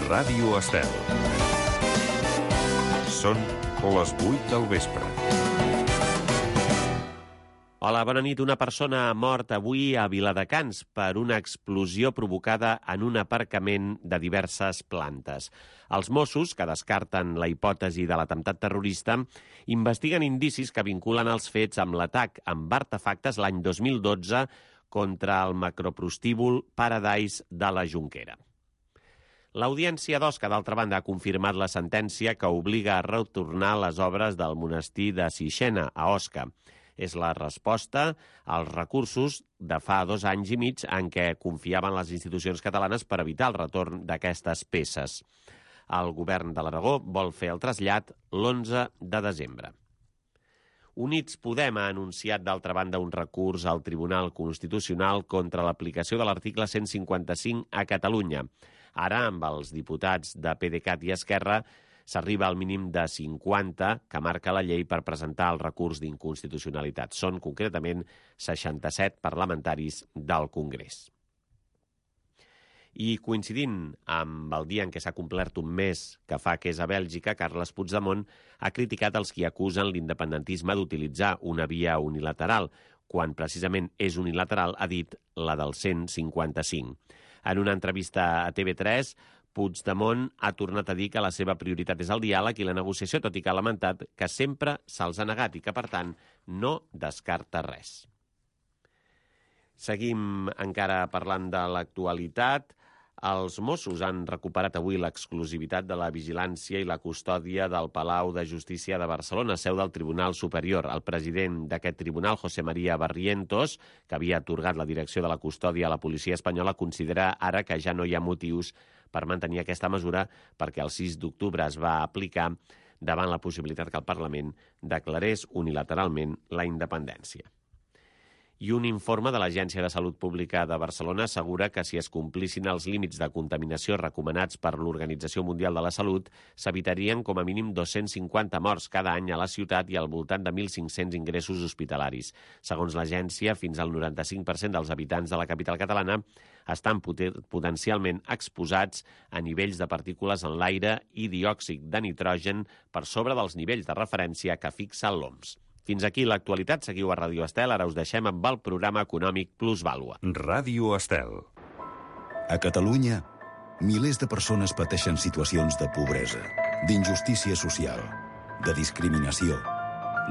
Ràdio Estel. Són les 8 del vespre. Hola, bona nit. Una persona ha mort avui a Viladecans per una explosió provocada en un aparcament de diverses plantes. Els Mossos, que descarten la hipòtesi de l'atemptat terrorista, investiguen indicis que vinculen els fets amb l'atac amb artefactes l'any 2012 contra el macroprostíbul Paradise de la Jonquera. L'Audiència d'Osca, d'altra banda, ha confirmat la sentència que obliga a retornar les obres del monestir de Sixena, a Osca. És la resposta als recursos de fa 2 anys i mig en què confiaven les institucions catalanes per evitar el retorn d'aquestes peces. El govern de l'Aragó vol fer el trasllat l'11 de desembre. Units Podem ha anunciat, d'altra banda, un recurs al Tribunal Constitucional contra l'aplicació de l'article 155 a Catalunya. Ara, amb els diputats de PDeCAT i Esquerra, s'arriba al mínim de 50 que marca la llei per presentar el recurs d'inconstitucionalitat. Són, concretament, 67 parlamentaris del Congrés. I coincidint amb el dia en què s'ha complert un mes que fa que és a Bèlgica, Carles Puigdemont ha criticat els qui acusen l'independentisme d'utilitzar una via unilateral, quan precisament és unilateral, ha dit, la del 155. En una entrevista a TV3, Puigdemont ha tornat a dir que la seva prioritat és el diàleg i la negociació, tot i que ha lamentat que sempre se'ls ha negat i que, per tant, no descarta res. Seguim encara parlant de l'actualitat. Els Mossos han recuperat avui l'exclusivitat de la vigilància i la custòdia del Palau de Justícia de Barcelona, seu del Tribunal Superior. El president d'aquest tribunal, José María Barrientos, que havia atorgat la direcció de la custòdia a la policia espanyola, considera ara que ja no hi ha motius per mantenir aquesta mesura perquè el 6 d'octubre es va aplicar davant la possibilitat que el Parlament declarés unilateralment la independència. I un informe de l'Agència de Salut Pública de Barcelona assegura que si es complissin els límits de contaminació recomanats per l'Organització Mundial de la Salut, s'evitarien com a mínim 250 morts cada any a la ciutat i al voltant de 1.500 ingressos hospitalaris. Segons l'agència, fins al 95% dels habitants de la capital catalana estan potencialment exposats a nivells de partícules en l'aire i diòxid de nitrogen per sobre dels nivells de referència que fixa l'OMS. Fins aquí l'actualitat. Seguiu a Ràdio Estel. Ara us deixem amb el programa econòmic Plusvàlua. Ràdio Estel. A Catalunya, milers de persones pateixen situacions de pobresa, d'injustícia social, de discriminació,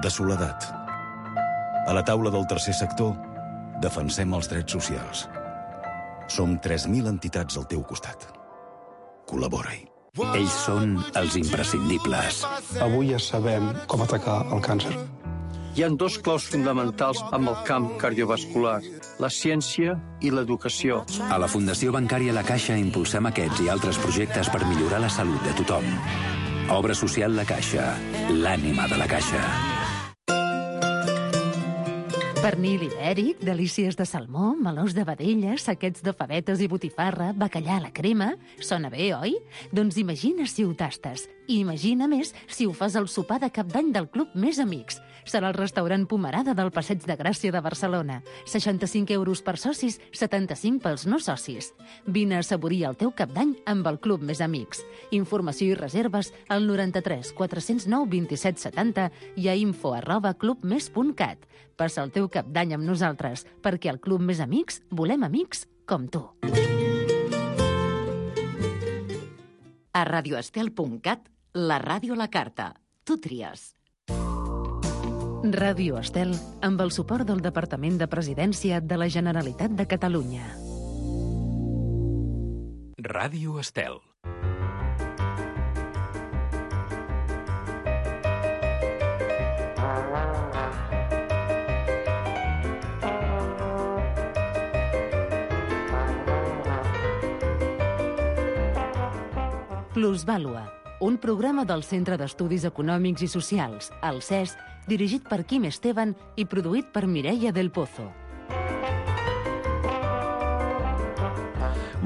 de soledat. A la taula del tercer sector, defensem els drets socials. Som 3.000 entitats al teu costat. Col·labora-hi. Ells són els imprescindibles. Avui ja sabem com atacar el càncer. Hi ha 2 claus fonamentals amb el camp cardiovascular, la ciència i l'educació. A la Fundació Bancària La Caixa impulsem aquests i altres projectes per millorar la salut de tothom. Obra social La Caixa, l'ànima de la Caixa. Pernil ibèric, delícies de salmó, melós de vedella, saquets de favetes i botifarra, bacallà a la crema... Sona bé, oi? Doncs imagina si ho tastes. I imagina més si ho fas al sopar de cap d'any del Club Més Amics. Serà el restaurant Pomerada del Passeig de Gràcia de Barcelona. 65 euros per socis, 75 pels no socis. Vine a assaborir el teu cap d'any amb el Club Més Amics. Informació i reserves al 93 409 27 70 i a info@clubmes.cat. Passa el teu cap d'any amb nosaltres, perquè al Club Més Amics volem amics com tu. A radioestel.cat, la ràdio a la carta. Tu tries. Ràdio Estel, amb el suport del Departament de Presidència de la Generalitat de Catalunya. Ràdio Estel. Plusvàlua, un programa del Centre d'Estudis Econòmics i Socials, el CES, dirigit per Quim Esteban i produït per Mireia del Pozo.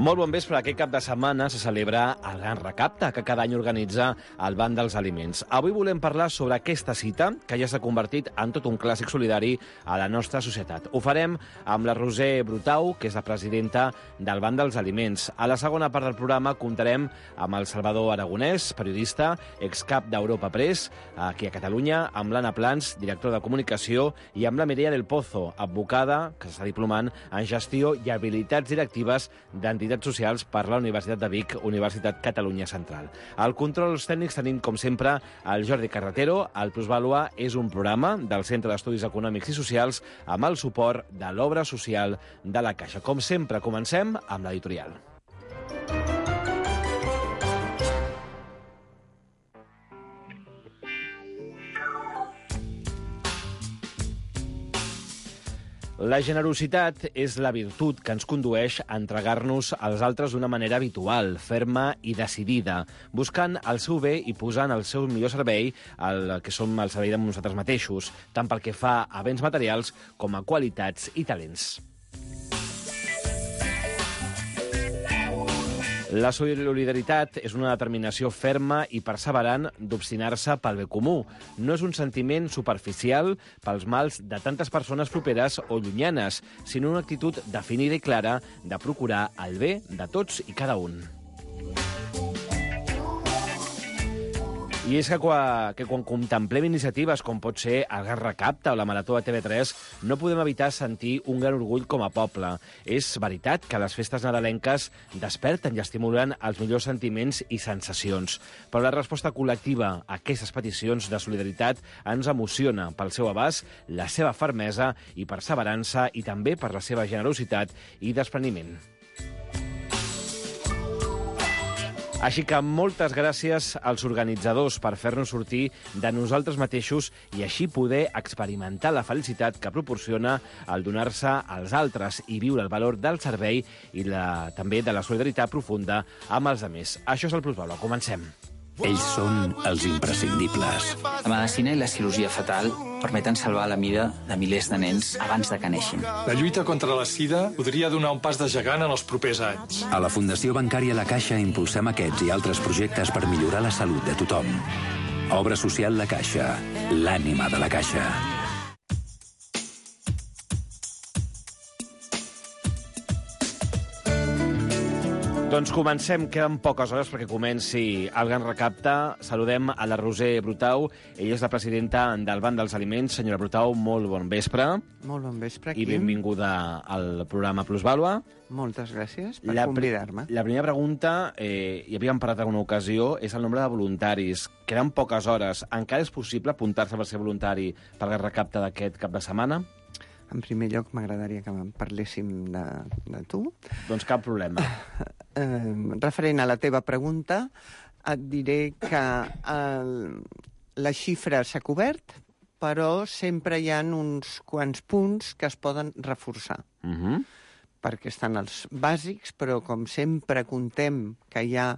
Molt bon vespre. Aquest cap de setmana se celebra el Gran Recapte, que cada any organitza el Banc dels Aliments. Avui volem parlar sobre aquesta cita, que ja s'ha convertit en tot un clàssic solidari a la nostra societat. Ho farem amb la Roser Brutau, que és la presidenta del Banc dels Aliments. A la segona part del programa comptarem amb el Salvador Aragonès, periodista, excap d'Europa Press, aquí a Catalunya, amb l'Anna Plans, directora de comunicació, i amb la Mireia del Pozo, advocada, que s'està diplomant en gestió i habilitats directives d'entitats socials per la Universitat de Vic, Universitat Catalunya Central. Al controls tècnics tenim, com sempre, el Jordi Carretero. El Plusvàlua és un programa del Centre d'Estudis Econòmics i Socials amb el suport de l'Obra Social de la Caixa. Com sempre, comencem amb l'editorial. La generositat és la virtut que ens condueix a entregar-nos als altres d'una manera habitual, ferma i decidida, buscant el seu bé i posant el seu millor servei el que som al servei de nosaltres mateixos, tant pel que fa a béns materials com a qualitats i talents. La solidaritat és una determinació ferma i perseverant d'obstinar-se pel bé comú. No és un sentiment superficial pels mals de tantes persones properes o llunyanes, sinó una actitud definida i clara de procurar el bé de tots i cada un. I és que quan contemplem iniciatives com pot ser el Gran Recapte o la Marató de TV3, no podem evitar sentir un gran orgull com a poble. És veritat que les festes nadalenques desperten i estimulen els millors sentiments i sensacions, però la resposta col·lectiva a aquestes peticions de solidaritat ens emociona pel seu abast, la seva fermesa i perseverança i també per la seva generositat i despreniment. Així que moltes gràcies als organitzadors per fer-nos sortir de nosaltres mateixos i així poder experimentar la felicitat que proporciona el donar-se als altres i viure el valor del servei i també de la solidaritat profunda amb els altres. Això és el Plusvàlua. Comencem. Ells són els imprescindibles. La medicina i la cirurgia fetal permeten salvar la vida de milers de nens abans de que neixin. La lluita contra la sida podria donar un pas de gegant en els propers anys. A la Fundació Bancària La Caixa impulsem aquests i altres projectes per millorar la salut de tothom. Obra social La Caixa, l'ànima de la Caixa. Doncs comencem, queden poques hores perquè comenci el Gran Recapte. Saludem a la Roser Brutau, ella és la presidenta del Banc dels Aliments. Senyora Brutau, molt bon vespre. Molt bon vespre, Quim. I benvinguda al programa Plusvàlua. Moltes gràcies per convidar-me. La primera pregunta, hi havíem parlat en una ocasió, és el nombre de voluntaris. Queden poques hores. Encara és possible apuntar-se per ser voluntari per el Recapte d'aquest cap de setmana? En primer lloc, m'agradaria que parléssim de tu. Doncs cap problema. Referent a la teva pregunta, et diré que la xifra s'ha cobert, però sempre hi ha uns quants punts que es poden reforçar. Perquè estan els bàsics, però com sempre contem que hi ha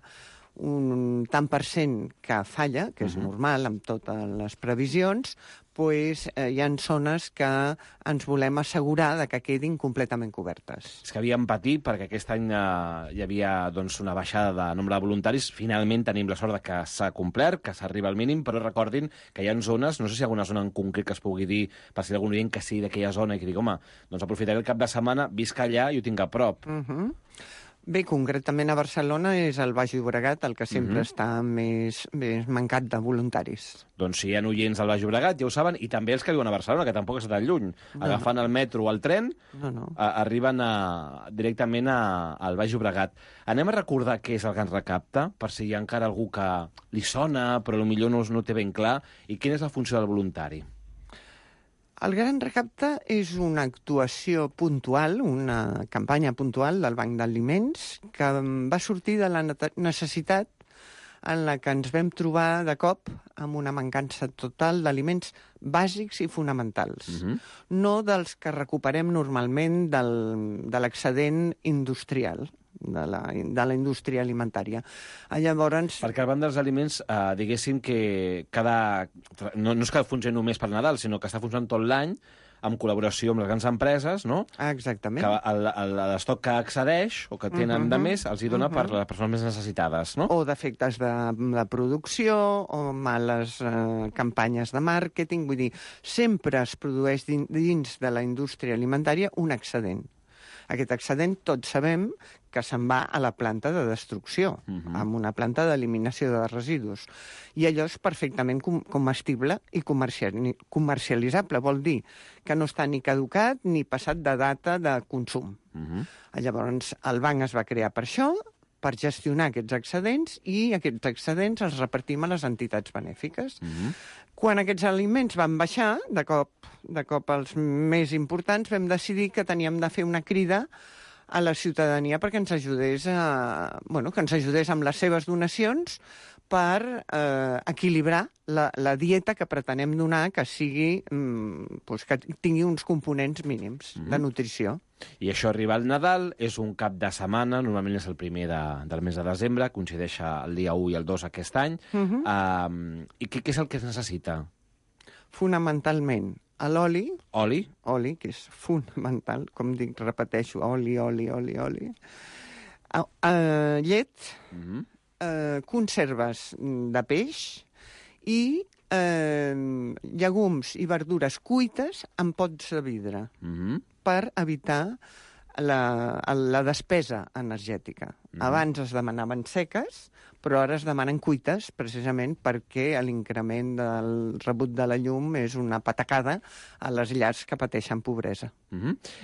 un tant per cent que falla, que és normal amb totes les previsions, doncs hi ha zones que ens volem assegurar de que quedin completament cobertes. És que havíem patit perquè aquest any hi havia una baixada de nombre de voluntaris. Finalment tenim la sort que s'ha complert, que s'arriba al mínim, però recordin que hi ha zones, no sé si hi ha alguna zona en concret que es pugui dir, per si algun oient que sigui d'aquella zona i que digui, home, doncs aprofitaré el cap de setmana, visc allà i ho tinc a prop. Bé, concretament a Barcelona és el Baix Llobregat el que sempre està més mancat de voluntaris. Doncs si hi ha oients del Baix Llobregat, ja ho saben, i també els que viuen a Barcelona, que tampoc està tan lluny. Agafant el metro o el tren, arriben directament al Baix Llobregat. Anem a recordar què és el Gran Recapte, per si hi ha encara algú que li sona, però potser no té ben clar, i quina és la funció del voluntari. El Gran Recapte és una actuació puntual, una campanya puntual del Banc d'Aliments que va sortir de la necessitat en la que ens vam trobar de cop amb una mancança total d'aliments bàsics i fonamentals. No dels que recuperem normalment de l'excedent industrial, de la indústria alimentària. Llavors... Perquè el Banc dels Aliments, diguéssim que no és que funcioni només per Nadal, sinó que està funcionant tot l'any, en col·laboració amb les grans empreses, no? Exactament. Que l'estoc que accedeix o que tenen de més els hi dona per les persones més necessitades, no? O defectes de producció, o males campanyes de màrqueting. Vull dir, sempre es produeix dins de la indústria alimentària un excedent. Aquest excedent tots sabem que se'n va a la planta de destrucció, amb una planta d'eliminació de residus. I allò és perfectament comestible i comercialitzable. Vol dir que no està ni caducat ni passat de data de consum. Llavors, el banc es va crear per això, per gestionar aquests excedents, i aquests excedents els repartim a les entitats benèfiques. Quan aquests aliments van baixar, de cop els més importants, vam decidir que teníem de fer una crida a la ciutadania perquè ens ajudés amb les seves donacions per equilibrar la dieta que pretenem donar, que sigui que tingui uns components mínims de nutrició. I això arriba al Nadal, és un cap de setmana, normalment és el primer del mes de desembre, coincideix el dia 1 i el 2 aquest any. I què és el que es necessita? Fonamentalment, l'oli. Oli? Oli, que és fonamental, com dic, repeteixo, oli. Llet, conserves de peix i llegums i verdures cuites en pots de vidre, per evitar la despesa energètica. Abans es demanaven seques, però ara es demanen cuites, precisament perquè l'increment del rebut de la llum és una patacada a les llars que pateixen pobresa.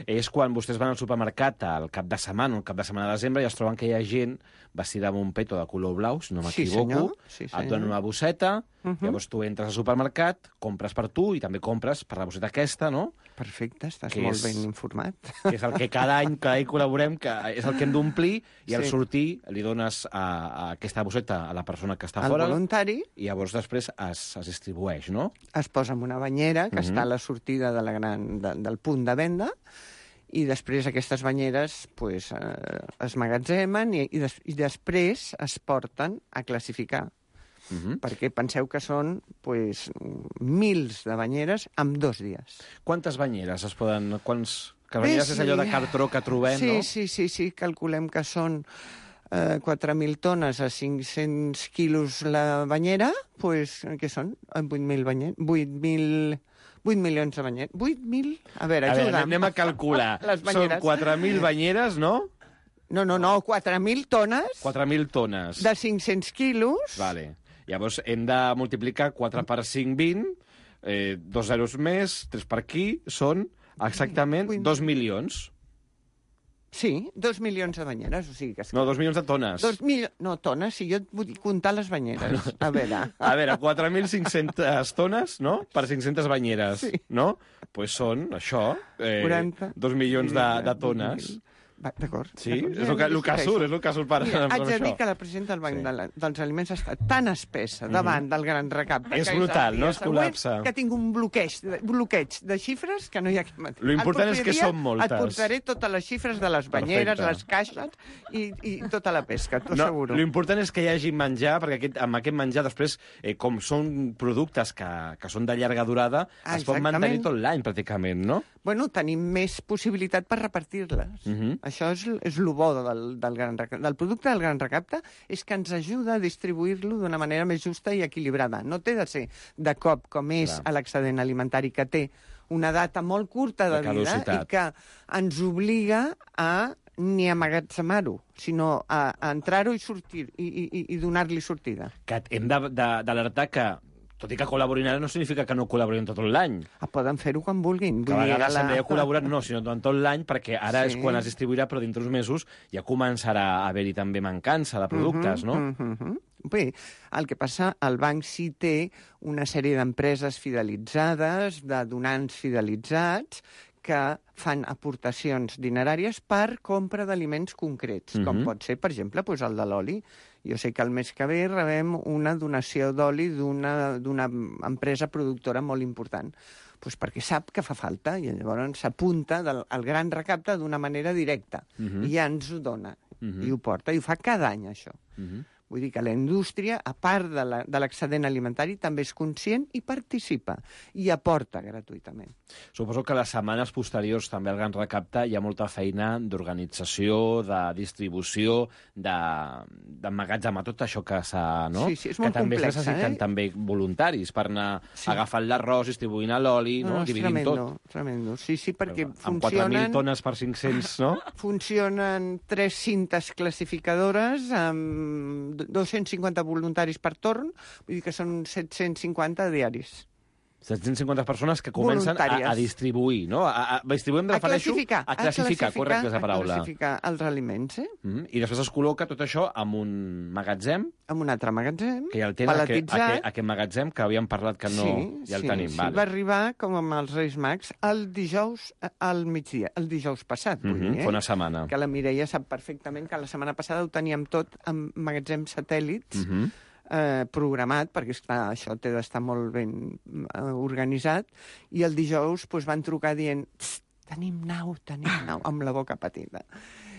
És quan vostès van al supermercat al cap de setmana, de desembre, i es troben que hi ha gent vestida amb un peto de color blau, si no m'equivoco, et donen una bosseta, llavors tu entres al supermercat, compres per tu i també compres per la bosseta aquesta, no? Perfecte, estàs molt ben informat. Que és el que cada any col·laborem, que és el que hem d'omplir, i al sortir li dones aquesta bosseta a la persona que està fora. Al voluntari. I llavors després es distribueix, no? Es posa en una banyera que està a la sortida del punt de venda, i després aquestes banyeres es magatzemen i després es porten a classificar. Perquè penseu que són mils de banyeres en 2 dies. Quantes banyeres es poden... Que banyeres és allò de cartró que trobem, no? Sí, calculem que són 4.000 tones a 500 quilos la banyera, què són? 8.000 banyeres? 8 milions de banyeres. 8.000? A veure, ajuda'm. Anem a calcular. Són 4.000 banyeres, no? No, 4.000 tones. 4.000 tones. De 500 quilos. Vale. Llavors hem de multiplicar 4 per 5, 20, 2 zeros més, 3 per aquí, són exactament 2 milions. Sí, 2 milions de banyeres, o sigui que... No, 2 milions de tones. No, tones, si jo et vull comptar les banyeres. A veure, 4.500 tones, no?, per 500 banyeres, no? Doncs són, això, 2 milions de tones. D'acord. Sí, és el que surt per això. Haig de dir que la presidenta del Banc dels Aliments està tan espessa davant del gran recapte... És brutal, no? Es col·lapsa. Que tinc un bloqueig de xifres que no hi ha que matar. L'important és que són moltes. Et portaré totes les xifres de les banyeres, les caixes i tota la pesca, t'ho asseguro. L'important és que hi hagi menjar, perquè amb aquest menjar després, com són productes que són de llarga durada, es pot mantenir tot l'any, pràcticament, no? Bueno, tenim més possibilitat per repartir-les. Això és el bo del producte del gran recapte, és que ens ajuda a distribuir-lo d'una manera més justa i equilibrada. No té de ser de cop com és l'excedent alimentari, que té una data molt curta de vida i que ens obliga a ni amagatzemar-ho, sinó a entrar-ho i sortir i donar-li sortida. Que hem d'alertar que tot i que col·laborin ara no significa que no col·laborin tot l'any. Poden fer-ho quan vulguin. Que a vegades hem de col·laborar, no, sinó tot l'any, perquè ara és quan es distribuirà, però dintre uns mesos ja començarà a haver-hi també mancança de productes, no? Bé, el que passa, el banc sí té una sèrie d'empreses fidelitzades, de donants fidelitzats, que fan aportacions dineràries per compra d'aliments concrets, com pot ser, per exemple, el de l'oli. Jo sé que el mes que ve rebem una donació d'oli d'una empresa productora molt important, perquè sap que fa falta i llavors s'apunta al gran recapte d'una manera directa i ja ens ho dona i ho porta, i ho fa cada any, això. Vull dir que la indústria, a part de l'excedent alimentari, també és conscient i participa, i aporta gratuïtament. Suposo que les setmanes posteriors també al Gran Recapte hi ha molta feina d'organització, de distribució, d'emmagatzemar tot això que s'ha... No? Sí, és molt que també complex, necessiten també voluntaris per anar agafant l'arròs, distribuint l'oli, no? Dividint tot. Tremendo. Sí, perquè amb funcionen... 4.000 tones per 500, no? Funcionen 3 cintes classificadores amb 250 voluntaris per torn, vull dir que són 750 diaris. 750 persones que comencen a distribuir, no? Distribuir, em refereixo a classificar, correcte és la paraula. A classificar els aliments, I després es col·loca tot això en un magatzem. En un altre magatzem, que ja el tenen, aquest magatzem que havíem parlat que no... Ja el tenim, vale. Va arribar, com amb els Reis Mags, el dijous al migdia, el dijous passat, vull dir, fa una setmana. Que la Mireia sap perfectament que la setmana passada ho teníem tot en magatzems satèl·lits, programat, perquè esclar, això té d'estar molt ben organitzat, i el dijous van trucar dient tenim nau, amb la boca petita.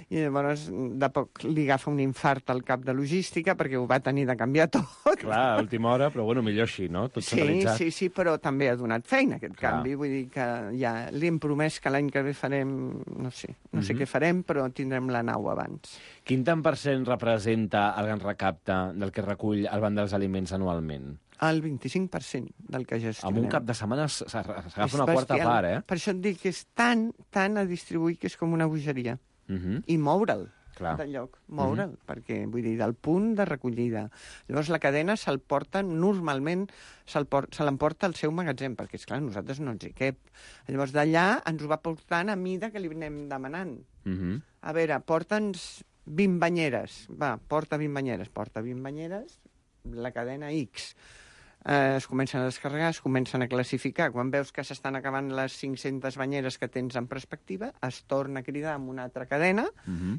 I llavors de poc li agafa un infart al cap de logística perquè ho va tenir de canviar tot. Clar, a última hora, però bueno, millor així, no? Tot centralitzat. Sí, però també ha donat feina aquest canvi. Vull dir que ja li hem promès que l'any que ve farem, no sé què farem, però tindrem la nau abans. Quin tant per cent representa el Gran Recapte del que recull el Banc dels Aliments anualment? El 25% del que gestionem. En un cap de setmana s'agafa una quarta part, Per això et dic que és tant a distribuir que és com una bogeria. I moure'l del lloc, perquè vull dir, del punt de recollida. Llavors la cadena se'l porta, normalment se l'emporta al seu magatzem, perquè esclar, nosaltres no ens hi cap. Llavors d'allà ens ho va portant a mida que li anem demanant. A veure, porta'ns 20 banyeres. Va, porta 20 banyeres, la cadena X. Es comencen a descarregar, es comencen a classificar. Quan veus que s'estan acabant les 500 banyeres que tens en perspectiva, es torna a cridar amb una altra cadena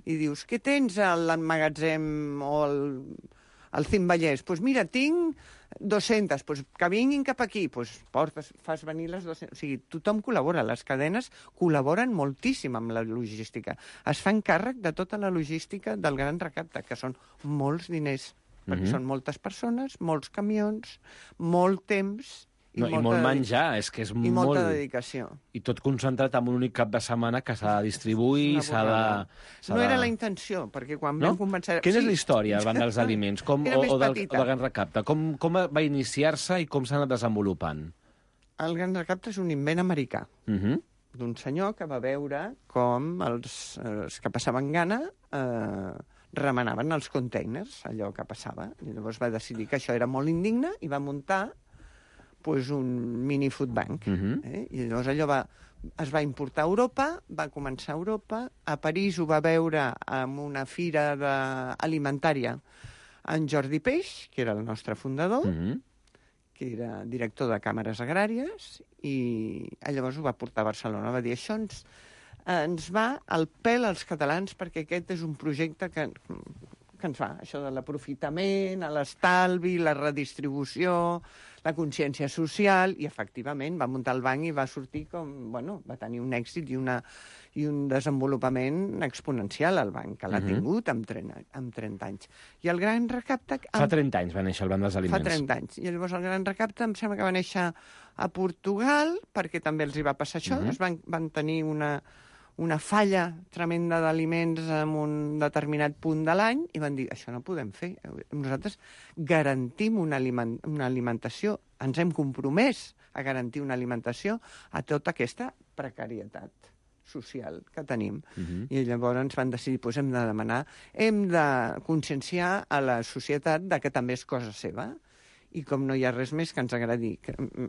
i dius, què tens a l'emmagatzem o al Cim Vallès? Doncs mira, tinc 200, que vinguin cap aquí. Fas venir les 200. O sigui, tothom col·labora, les cadenes col·laboren moltíssim amb la logística. Es fan càrrec de tota la logística del Gran Recapte, que són molts diners. Perquè són moltes persones, molts camions, molt temps i molt menjar, és que és molt... I molta dedicació. I tot concentrat en un únic cap de setmana que s'ha de distribuir, No era la intenció, perquè quan vam començar... Quina és la història davant dels aliments o del Gran Recapte? Com va iniciar-se i com s'ha anat desenvolupant? El Gran Recapte és un invent americà d'un senyor que va veure com els que passaven gana remenaven els containers, allò que passava. I llavors va decidir que això era molt indigne i va muntar un mini food bank. I llavors allò es va importar a Europa, va començar a Europa, a París ho va veure en una fira alimentària en Jordi Peix, que era el nostre fundador, que era director de càmeres agràries, i llavors ho va portar a Barcelona. Va dir, això ens va al pèl als catalans, perquè aquest és un projecte que ens va, això de l'aprofitament, l'estalvi, la redistribució, la consciència social, i efectivament va muntar el banc i va sortir va tenir un èxit i un desenvolupament exponencial al banc, que l'ha tingut amb 30 anys. I el Gran Recapte... Fa 30 anys va néixer el Banc dels Aliments. Fa 30 anys. I llavors el Gran Recapte em sembla que va néixer a Portugal, perquè també els hi va passar això, van tenir una falla tremenda d'aliments en un determinat punt de l'any i van dir, això no podem fer. Nosaltres garantim una alimentació, ens hem compromès a garantir una alimentació a tota aquesta precarietat social que tenim. I llavors ens van decidir, hem de demanar, hem de conscienciar a la societat de que també és cosa seva. I com no hi ha res més que ens agradi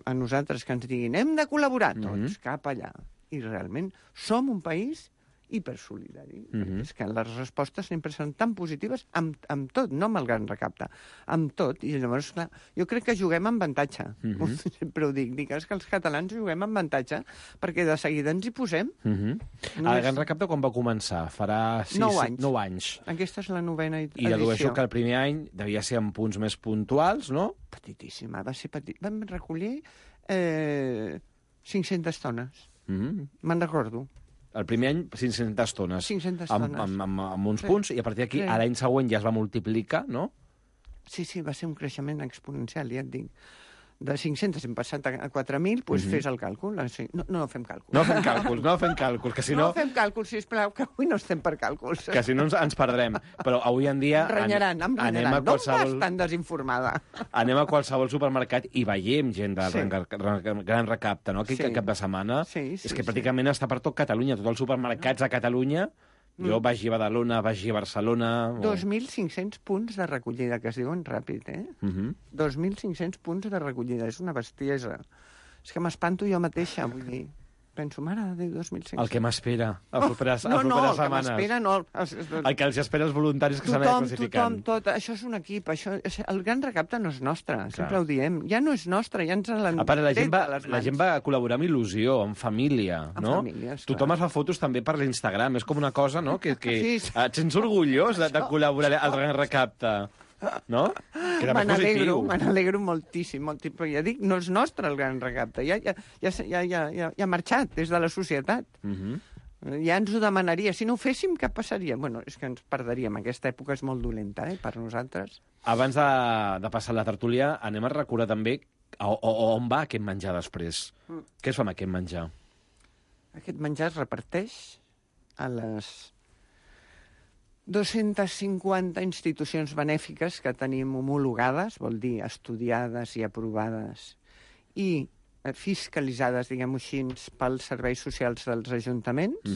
a nosaltres, que ens diguin, hem de col·laborar tots, cap allà. I realment som un país hipersolidari. És que les respostes sempre són tan positives amb tot, no amb el Gran Recapte, amb tot. I llavors, clar, jo crec que juguem amb avantatge. Sempre ho dic, és que els catalans juguem amb avantatge, perquè de seguida ens hi posem. El Gran Recapte quan va començar? Farà 9 anys. Aquesta és la 9ª edició. I dedueixo que el primer any devia ser amb punts més puntuals, no? Petitíssima, va ser petit. Vam recollir 500 tones. Me'n recordo. El primer any, 500 tones. 500 tones. Amb uns punts, i a partir d'aquí, a l'any següent ja es va multiplicar, no? Sí, va ser un creixement exponencial, ja et dic. De 500 hem passat a 4.000, doncs fes el càlcul. No fem càlculs. No fem càlculs, que si no... No fem càlculs, sisplau, que avui no estem per càlculs. Que si no ens perdrem. Però avui en dia... Em renyaran. No vas tan desinformada. Anem a qualsevol supermercat i veiem gent del Gran Recapte, no? Aquell cap de setmana. És que pràcticament està per tot Catalunya, tots els supermercats a Catalunya. Jo vaig a Badalona, vaig a Barcelona... 2.500 punts de recollida, que es diuen ràpid, 2.500 punts de recollida, és una bestiesa. És que m'espanto jo mateixa, vull dir... Penso, mare de Déu, 2.500. El que m'espera, les properes setmanes. El que m'espera no. El que els espera els voluntaris que s'han anat classificant. Tothom, això és un equip. El Gran Recapte no és nostre, sempre ho diem. Ja no és nostre, ja ens l'han tret de les mans. La gent va col·laborar amb il·lusió, amb família, no? Tothom es fa fotos també per l'Instagram. És com una cosa, no?, que et sents orgullós de col·laborar al Gran Recapte. No? Me n'alegro moltíssim, però ja dic, no és nostre el Gran Recapte, ja ha marxat des de la societat. Ja ens ho demanaria. Si no ho féssim, què passaria? Bueno, és que ens perdríem. Aquesta època és molt dolenta, per nosaltres. Abans de passar la tertúlia, anem a recordar també on va aquest menjar després. Què es fa amb aquest menjar? Aquest menjar es reparteix a les 250 institucions benèfiques que tenim homologades, vol dir estudiades i aprovades, i fiscalitzades, diguem-ho així, pels serveis socials dels ajuntaments,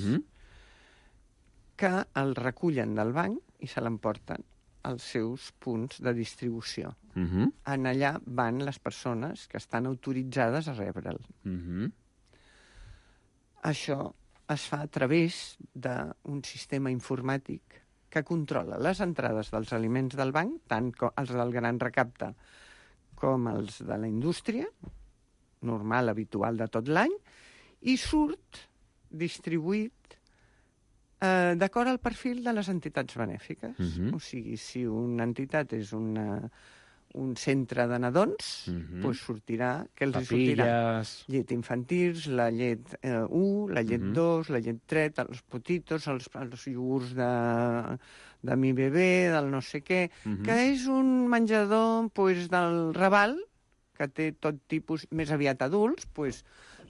que el recullen del banc i se l'emporten als seus punts de distribució. En allà van les persones que estan autoritzades a rebre'l. Això es fa a través d'un sistema informàtic que controla les entrades dels aliments del banc, tant els del Gran Recapte com els de la indústria, normal, habitual de tot l'any, i surt distribuït d'acord al perfil de les entitats benèfiques. O sigui, si una entitat és un centre de nadons, doncs sortirà... Papilles... Llet infantils, la llet 1, la llet 2, la llet 3, els potitos, els iogurts de mi bebè, del no sé què, que és un menjador del Raval, que té tot tipus, més aviat adults,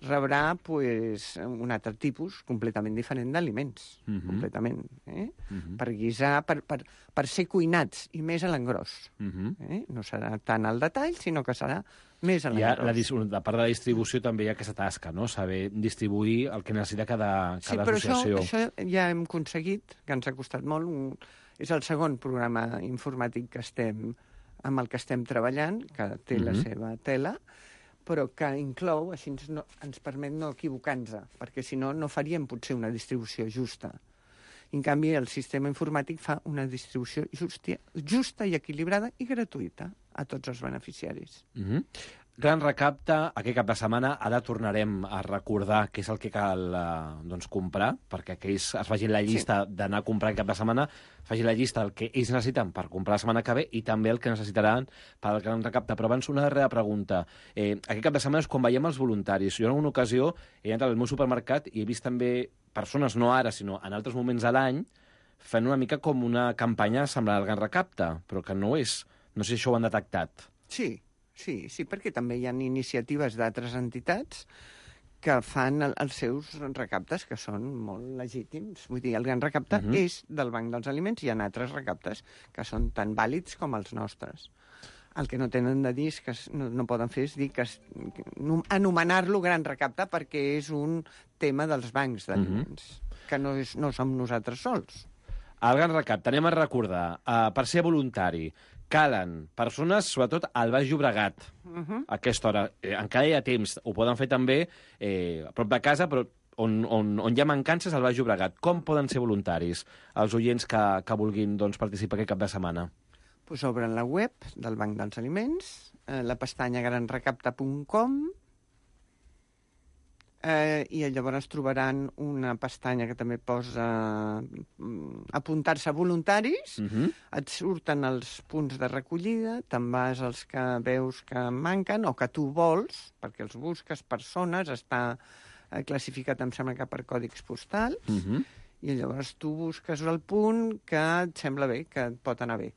rebrà un altre tipus completament diferent d'aliments, completament, per guisar, per ser cuinats, i més a l'engròs. No serà tant al detall, sinó que serà més a l'engròs. De part de la distribució també hi ha aquesta tasca, no? Saber distribuir el que necessita cada associació. Sí, però això ja hem aconseguit, que ens ha costat molt. És el segon programa informàtic amb el que estem treballant, que té la seva tela, però que inclou, així ens permet no equivocar-nos, perquè si no, no faríem potser una distribució justa. En canvi, el sistema informàtic fa una distribució justa i equilibrada i gratuïta a tots els beneficiaris. Gran Recapte, aquest cap de setmana, ara tornarem a recordar què és el que cal comprar, perquè aquells es facin la llista d'anar a comprar aquest cap de setmana, facin la llista del que ells necessiten per comprar la setmana que ve i també el que necessitaran per al Gran Recapte. Però abans una darrera pregunta. Aquest cap de setmana és quan veiem els voluntaris. Jo en una ocasió he entrat al meu supermercat i he vist també persones, no ara, sinó en altres moments de l'any, fent una mica com una campanya semblant al Gran Recapte, però que no és. No sé si això ho han detectat. Sí, perquè també hi ha iniciatives d'altres entitats que fan els seus recaptes, que són molt legítims. Vull dir, el Gran Recapte és del Banc dels Aliments i hi ha altres recaptes que són tan vàlids com els nostres. El que no tenen de dir és que no poden fer és dir que anomenar-lo Gran Recapte perquè és un tema dels bancs d'aliments, que no som nosaltres sols. El Gran Recapte, anem a recordar, per ser voluntari, calen persones, sobretot al Baix Llobregat, a aquesta hora. Encara hi ha temps, ho poden fer també a prop de casa, però on hi ha mancances al Baix Llobregat. Com poden ser voluntaris els oients que vulguin participar aquest cap de setmana? Obren la web del Banc dels Aliments, la pestanya granrecapte.com, i llavors trobaran una pestanya que també posa apuntar-se a voluntaris, et surten els punts de recollida, te'n vas als que veus que manquen o que tu vols, perquè els busques persones, està classificat, em sembla que per còdics postals, i llavors tu busques el punt que et sembla bé, que et pot anar bé.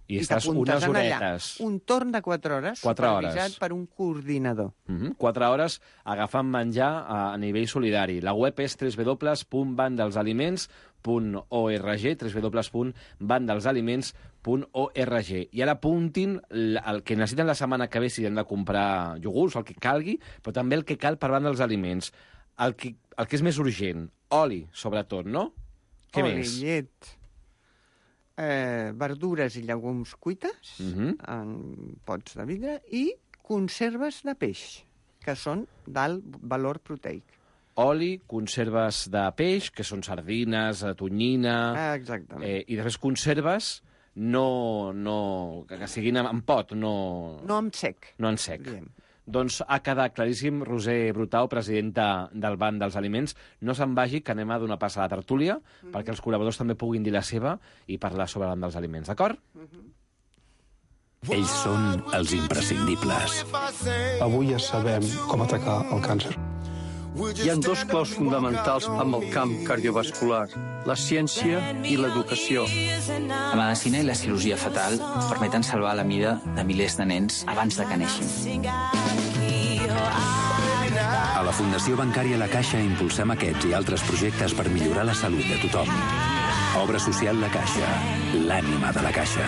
I estàs unes horetes. Un torn de 4 hores, 4 supervisat per un coordinador. 4 hores agafant menjar a nivell solidari. La web és www.bandelsaliments.org, www.bandelsaliments.org. I ara apuntin el que necessiten la setmana que ve si han de comprar iogurts, el que calgui, però també el que cal per Banc dels Aliments. El que és més urgent, oli, sobretot, no? Què més? Oli, llet, verdures i llegums cuites en pots de vidre i conserves de peix, que són d'alt valor proteic. Oli, conserves de peix, que són sardines, tonyina... Exactament. I després conserves que siguin en pot, no... No en sec. No en sec. Diem. Doncs ha quedat claríssim. Roser Brutau, presidenta del Banc dels Aliments. No se'n vagi, que anem a donar pas a la tertúlia, perquè els col·laboradors també puguin dir la seva i parlar sobre el Banc dels Aliments, d'acord? Ells són els imprescindibles. Avui ja sabem com atacar el càncer. Hi ha 2 claus fonamentals amb el camp cardiovascular, la ciència i l'educació. La medicina i la cirurgia fetal permeten salvar la vida de milers de nens abans de que neixin. A la Fundació Bancària La Caixa impulsem aquests i altres projectes per millorar la salut de tothom. Obra social La Caixa, l'ànima de la Caixa.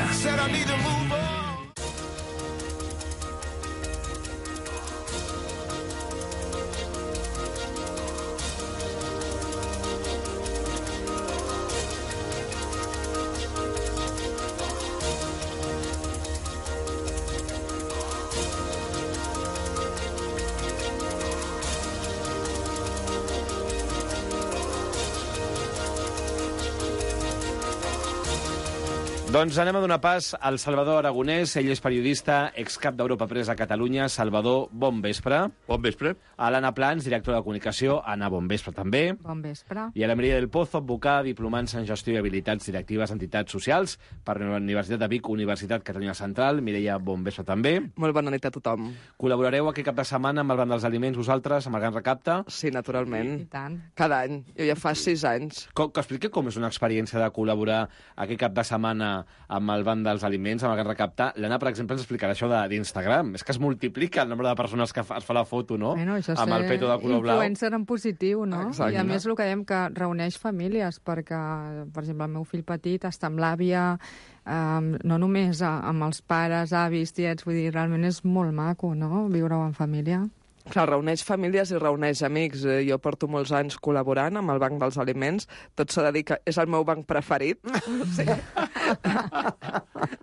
Doncs anem a donar pas al Salvador Aragonès. Ell és periodista, excap d'Europa Press a Catalunya. Salvador, bon vespre. Bon vespre. A l'Anna Plans, directora de comunicació. Anna, bon vespre també. Bon vespre. I a la Maria del Pozo, advocada, diplomant en gestió i habilitats directives d'entitats socials per la Universitat de Vic, Universitat Catalunya Central. Mireia, bon vespre també. Molt bona nit a tothom. Col·laborareu aquest cap de setmana amb el Banc dels Aliments, vosaltres, amb el Gran Recapte? Sí, naturalment. I tant. Cada any. Jo ja fa 6 anys. Que expliqui com és una experiència de col·laborar aquest cap de setmana amb el Banc dels Aliments, amb el Gran Recapte. L'Anna, per exemple, ens explicarà això d'Instagram. És que es multiplica el nombre de persones que es fa la foto, no? Bueno, amb el peto de color blau. Influencer en positiu, no? Exacte. I a més el que dèiem que reuneix famílies, perquè, per exemple, el meu fill petit està amb l'àvia, no només amb els pares, avis, tiets, vull dir, realment és molt maco, no?, viure-ho en família. Clar, reuneix famílies i reuneix amics. Jo porto molts anys col·laborant amb el Banc dels Aliments. Tot s'ha de dir que és el meu banc preferit.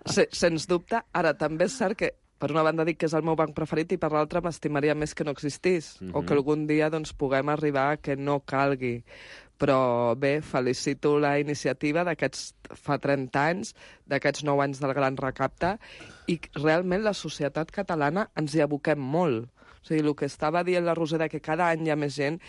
Sí, sens dubte. Ara, també és cert que per una banda dic que és el meu banc preferit i per l'altra m'estimaria més que no existís. O que algun dia doncs, puguem arribar a que no calgui. Però bé, felicito la iniciativa d'aquests fa 30 anys, d'aquests 9 anys del Gran Recapte, i realment la societat catalana ens hi aboquem molt. O sigui, el que estava dient la Roser, que cada any hi ha més gent,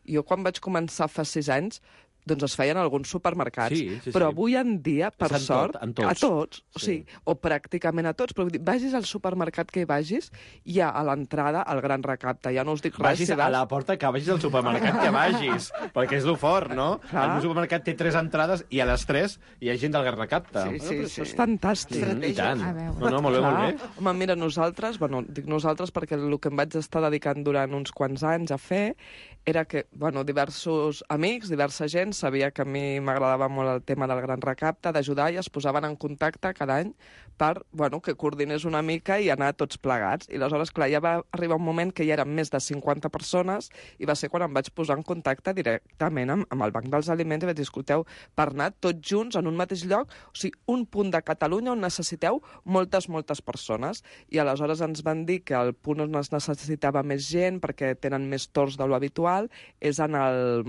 jo quan vaig començar fa 6 anys, doncs es feien alguns supermercats. Sí. Però avui en dia, per sort, en tots. a tots, o sigui, o pràcticament a tots, però vull dir, vagis al supermercat que hi vagis, hi ha a l'entrada el Gran Recapte. Ja no us dic res. Vagis a la porta que vagis al supermercat que vagis, perquè és lo fort, no? Clar. El meu supermercat té 3 entrades i a les 3 hi ha gent del Gran Recapte. Sí, això és fantàstic. I tant. A veure. No, molt bé, molt bé. Home, mira, nosaltres, dic nosaltres perquè el que em vaig estar dedicant durant uns quants anys a fer era que, diversos amics, diversa gent, sabia que a mi m'agradava molt el tema del Gran Recapte, d'ajudar, i es posaven en contacte cada any per, que coordinés una mica i anar tots plegats. I aleshores, clar, ja va arribar un moment que ja eren més de 50 persones i va ser quan em vaig posar en contacte directament amb el Banc dels Aliments i vaig dir, escolteu, per anar tots junts en un mateix lloc, o sigui, un punt de Catalunya on necessiteu moltes persones. I aleshores ens van dir que el punt on es necessitava més gent, perquè tenen més torns de lo habitual, és en el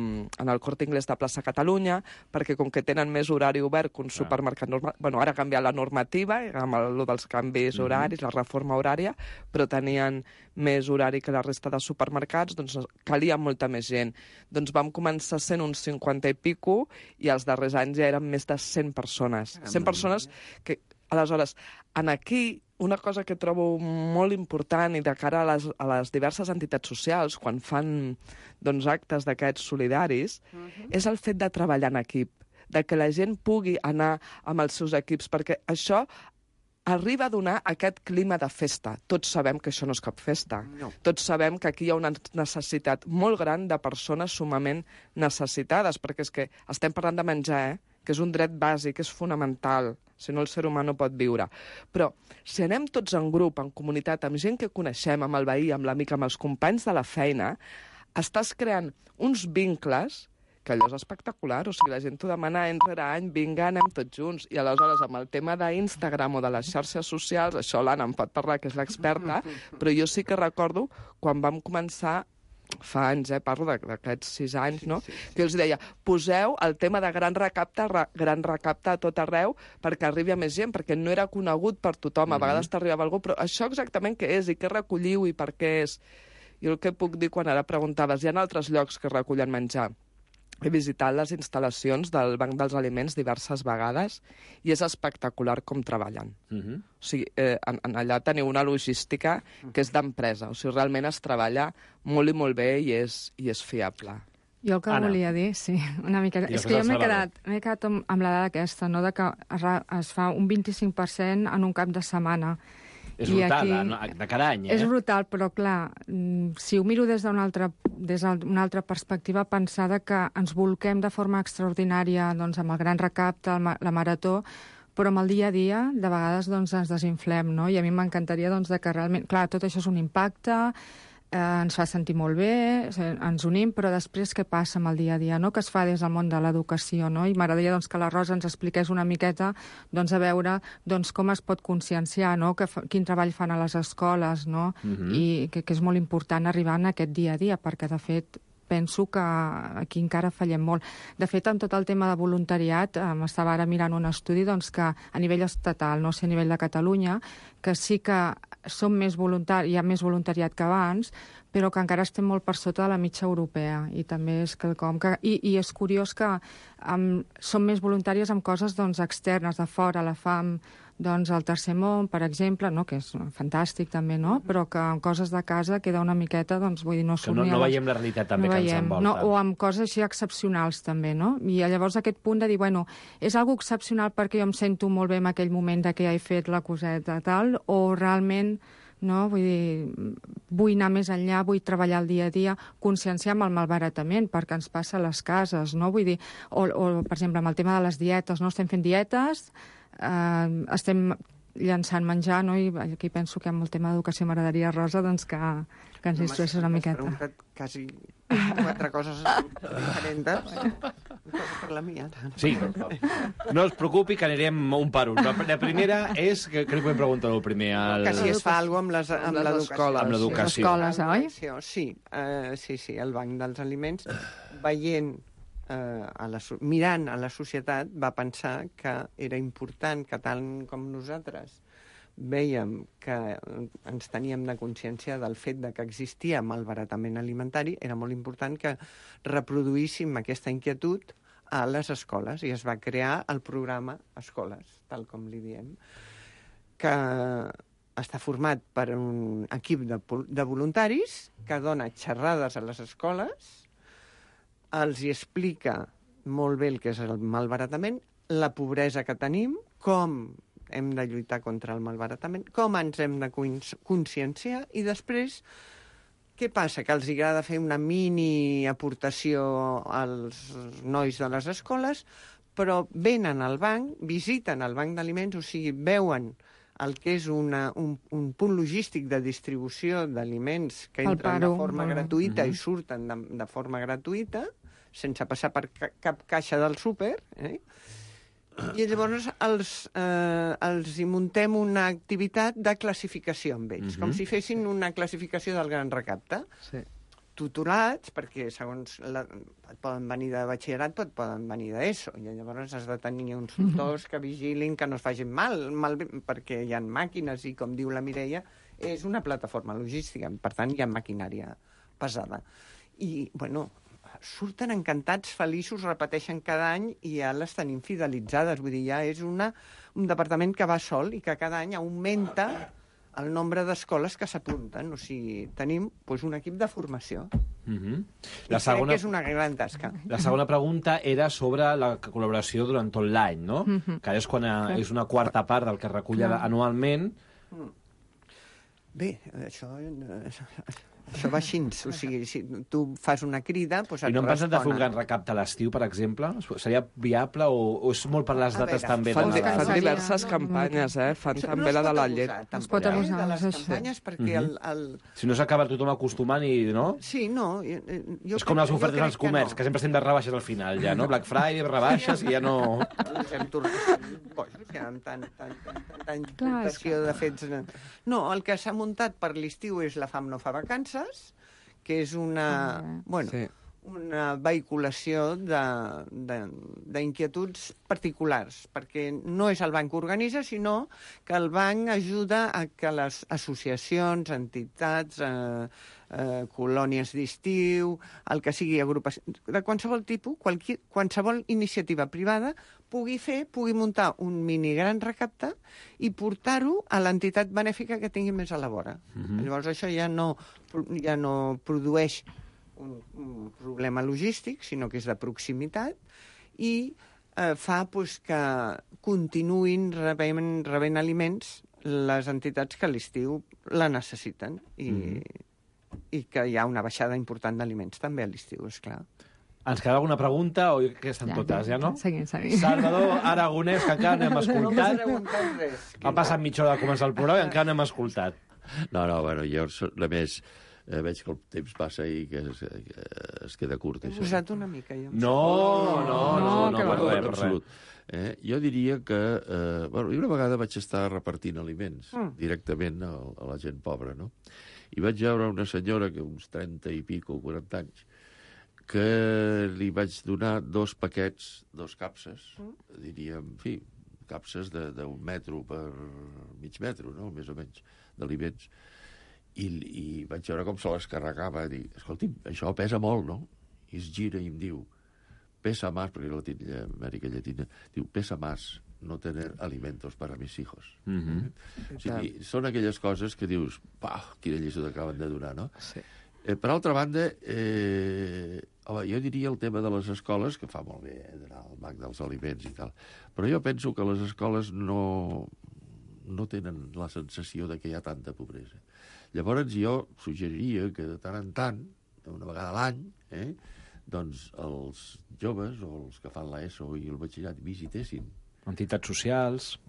Corte Inglés de Plaça Catalunya, perquè com que tenen més horari obert que un supermercat normal... Ara ha canviat la normativa, amb el dels canvis horaris, la reforma horària, però tenien més horari que la resta de supermercats, doncs calia molta més gent. Doncs vam començar sent uns 50 i pico, i els darrers anys ja eren més de 100 persones. 100 persones que, aleshores, aquí una cosa que trobo molt important i de cara a les diverses entitats socials, quan fan actes d'aquests solidaris, és el fet de treballar en equip, de que la gent pugui anar amb els seus equips, perquè això arriba a donar aquest clima de festa. Tots sabem que això no és cap festa. No. Tots sabem que aquí hi ha una necessitat molt gran de persones sumament necessitades, perquè és que estem parlant de menjar, que és un dret bàsic, és fonamental, si no el ser humà no pot viure. Però si anem tots en grup, en comunitat, amb gent que coneixem, amb el veí, amb l'amic, amb els companys de la feina, estàs creant uns vincles que allò és espectacular. O sigui, la gent t'ho demana any rere any, vinga, anem tots junts. I aleshores, amb el tema d'Instagram o de les xarxes socials, això l'Anna em pot parlar, que és l'experta, però jo sí que recordo quan vam començar fa anys, parlo d'aquests 6 anys, no? Que els deia, poseu el tema de gran recapte a tot arreu perquè arribi a més gent, perquè no era conegut per tothom. A vegades t'arribava algú, però això exactament què és i què recolliu i per què és? Jo el que puc dir quan ara preguntaves, hi ha altres llocs que recullen menjar. He visitat les instal·lacions del Banc dels Aliments diverses vegades i és espectacular com treballen. O sigui, allà teniu una logística que és d'empresa. O sigui, realment es treballa molt i molt bé i és fiable. Jo el que volia dir, sí, una mica... És que jo m'he quedat amb la dada aquesta, no?, de que es fa un 25% en un cap de setmana. És brutal, de cada any, És brutal, però clar, si ho miro des d'una altra perspectiva, pensar que ens volquem de forma extraordinària doncs, amb el gran recapte, la marató, però amb el dia a dia, de vegades doncs, ens desinflem, no? I a mi m'encantaria doncs, que realment... Clar, tot això és un impacte, ens fa sentir molt bé, ens unim, però després què passa amb el dia a dia, no? Que es fa des del món de l'educació, no? I m'agradaria doncs, que la Rosa ens expliqués una miqueta doncs, a veure doncs, com es pot conscienciar, no? Quin treball fan a les escoles, no? I que és molt important arribar en aquest dia a dia, perquè de fet penso que aquí encara fallem molt. De fet, en tot el tema de voluntariat, m'estava ara mirant un estudi doncs, que a nivell estatal, no sé, a nivell de Catalunya, que sí que som més hi ha més voluntariat que abans, però que encara estem molt per sota de la mitja europea. I també és quelcom que... I és curiós que som més voluntàries amb coses doncs, externes, de fora, la FAM, doncs el Tercer Món, per exemple, no? Que és fantàstic també, no? Però que en coses de casa queda una miqueta, doncs, vull dir, no surt ni no veiem la realitat també que ens envolta. No, o amb coses així excepcionals també, no? I llavors aquest punt de dir, bueno, és algo excepcional perquè jo em sento molt bé en aquell moment de que ja he fet la coseta tal, o realment no? Vull dir, vull anar més enllà, vull treballar el dia a dia, conscienciar amb el malbaratament, perquè ens passa a les cases, no? Vull dir, o per exemple, amb el tema de les dietes, no? Estem fent dietes, estem llançant menjar, no? I aquí penso que amb el tema d'educació m'agradaria, Rosa, doncs que ens instrueixes una miqueta. M'has preguntat quasi 4 coses diferents. Per la mia. Sí, no es preocupi que anirem un per un. La primera és, que crec que em pregunto el primer... Que si es fa alguna cosa amb l'educació. Amb l'educació. Les escoles, oi? Sí, el Banc dels Aliments, veient mirant a la societat, va pensar que era important que tant com nosaltres vèiem que ens teníem de consciència del fet de que existia malbaratament alimentari, era molt important que reproduíssim aquesta inquietud a les escoles, i es va crear el programa Escoles, tal com li diem, que està format per un equip de voluntaris que dona xerrades a les escoles, els hi explica molt bé el que és el malbaratament, la pobresa que tenim, com hem de lluitar contra el malbaratament, com ens hem de conscienciar, i després, què passa? Que els agrada fer una mini aportació als nois de les escoles, però venen al banc, visiten el banc d'aliments, o sigui, veuen el que és un punt logístic de distribució d'aliments que entren de forma gratuïta i surten de forma gratuïta, sense passar per cap caixa del súper, i llavors els hi muntem una activitat de classificació amb ells, com si fessin una classificació del gran recapte. Tutorats, perquè segons poden venir de batxillerat, poden venir d'ESO, i llavors has de tenir uns tutors que vigilin que no es facin mal, perquè hi ha màquines i, com diu la Mireia, és una plataforma logística, per tant hi ha maquinària pesada. I, bueno, surten encantats, feliços, repeteixen cada any i ja les tenim fidelitzades. Vull dir, ja és un departament que va sol i que cada any augmenta el nombre d'escoles que s'apunten. O sigui, tenim un equip de formació. La segona... Crec que és una gran tasca. La segona pregunta era sobre la col·laboració durant tot l'any, no? Que és quan és una quarta part del que es recull anualment. Bé, això va així. O sigui, si tu fas una crida, doncs et I no hem pensat de fer un responen. gran recapte a l'estiu, per exemple? Seria viable o és molt per les dates també de Fan Nadal? diverses campanyes, Fan també la de la llet. Es pot abusar de les campanyes perquè Si no s'acaba tothom acostumant i... no? Sí, no. És com les ofertes als comerç, que sempre estem de rebaixes al final, ja, no? Black Friday, rebaixes, i ja no... Amb tanta importació de fets... No, el que s'ha muntat per l'estiu és la FAM no fa vacances, que és una vehiculació d'inquietuds particulars, perquè no és el banc que organitza, sinó que el banc ajuda a que les associacions, entitats, colònies d'estiu, el que sigui agrupació, de qualsevol tipus, qualsevol iniciativa privada pugui muntar un mini gran recapte i portar-ho a l'entitat benèfica que tingui més a la vora. Llavors això ja no produeix un problema logístic, sinó que és de proximitat i fa que continuïn rebent aliments les entitats que a l'estiu la necessiten i que hi ha una baixada important d'aliments també a l'estiu, esclar. Ens queda alguna pregunta o que estan totes, ja no? Seguim. Salvador Aragonès, que encara no hem escoltat. Ha passat mitja hora de començar el programa i encara no hem escoltat. No, bueno, jo només veig que el temps passa i que es queda curt. He posat una mica, jo. No, en absolut. Jo diria que... Bueno, una vegada vaig estar repartint aliments directament a la gent pobra, no? I vaig veure una senyora que uns 30 i pico, 40 anys, que li vaig donar 2 paquets, 2 capses, diríem, en fi, capses d'un metro per mig metro, no?, més o menys, d'aliments. I vaig veure com se les carregava, i dir, escolti'm, això pesa molt, no? I es gira i em diu, pesa más, perquè era Amèrica Llatina, diu, pesa más no tener alimentos para mis hijos. O sigui, són aquelles coses que dius, quina lliçó t'acaben de donar, no? Sí. Per altra banda, jo diria el tema de les escoles, que fa molt bé d'anar al banc dels aliments i tal, però jo penso que les escoles no tenen la sensació de que hi ha tanta pobresa. Llavors jo suggeriria que de tant en tant, una vegada a l'any, doncs els joves o els que fan l'ESO i el batxillerat visitessin entitats socials...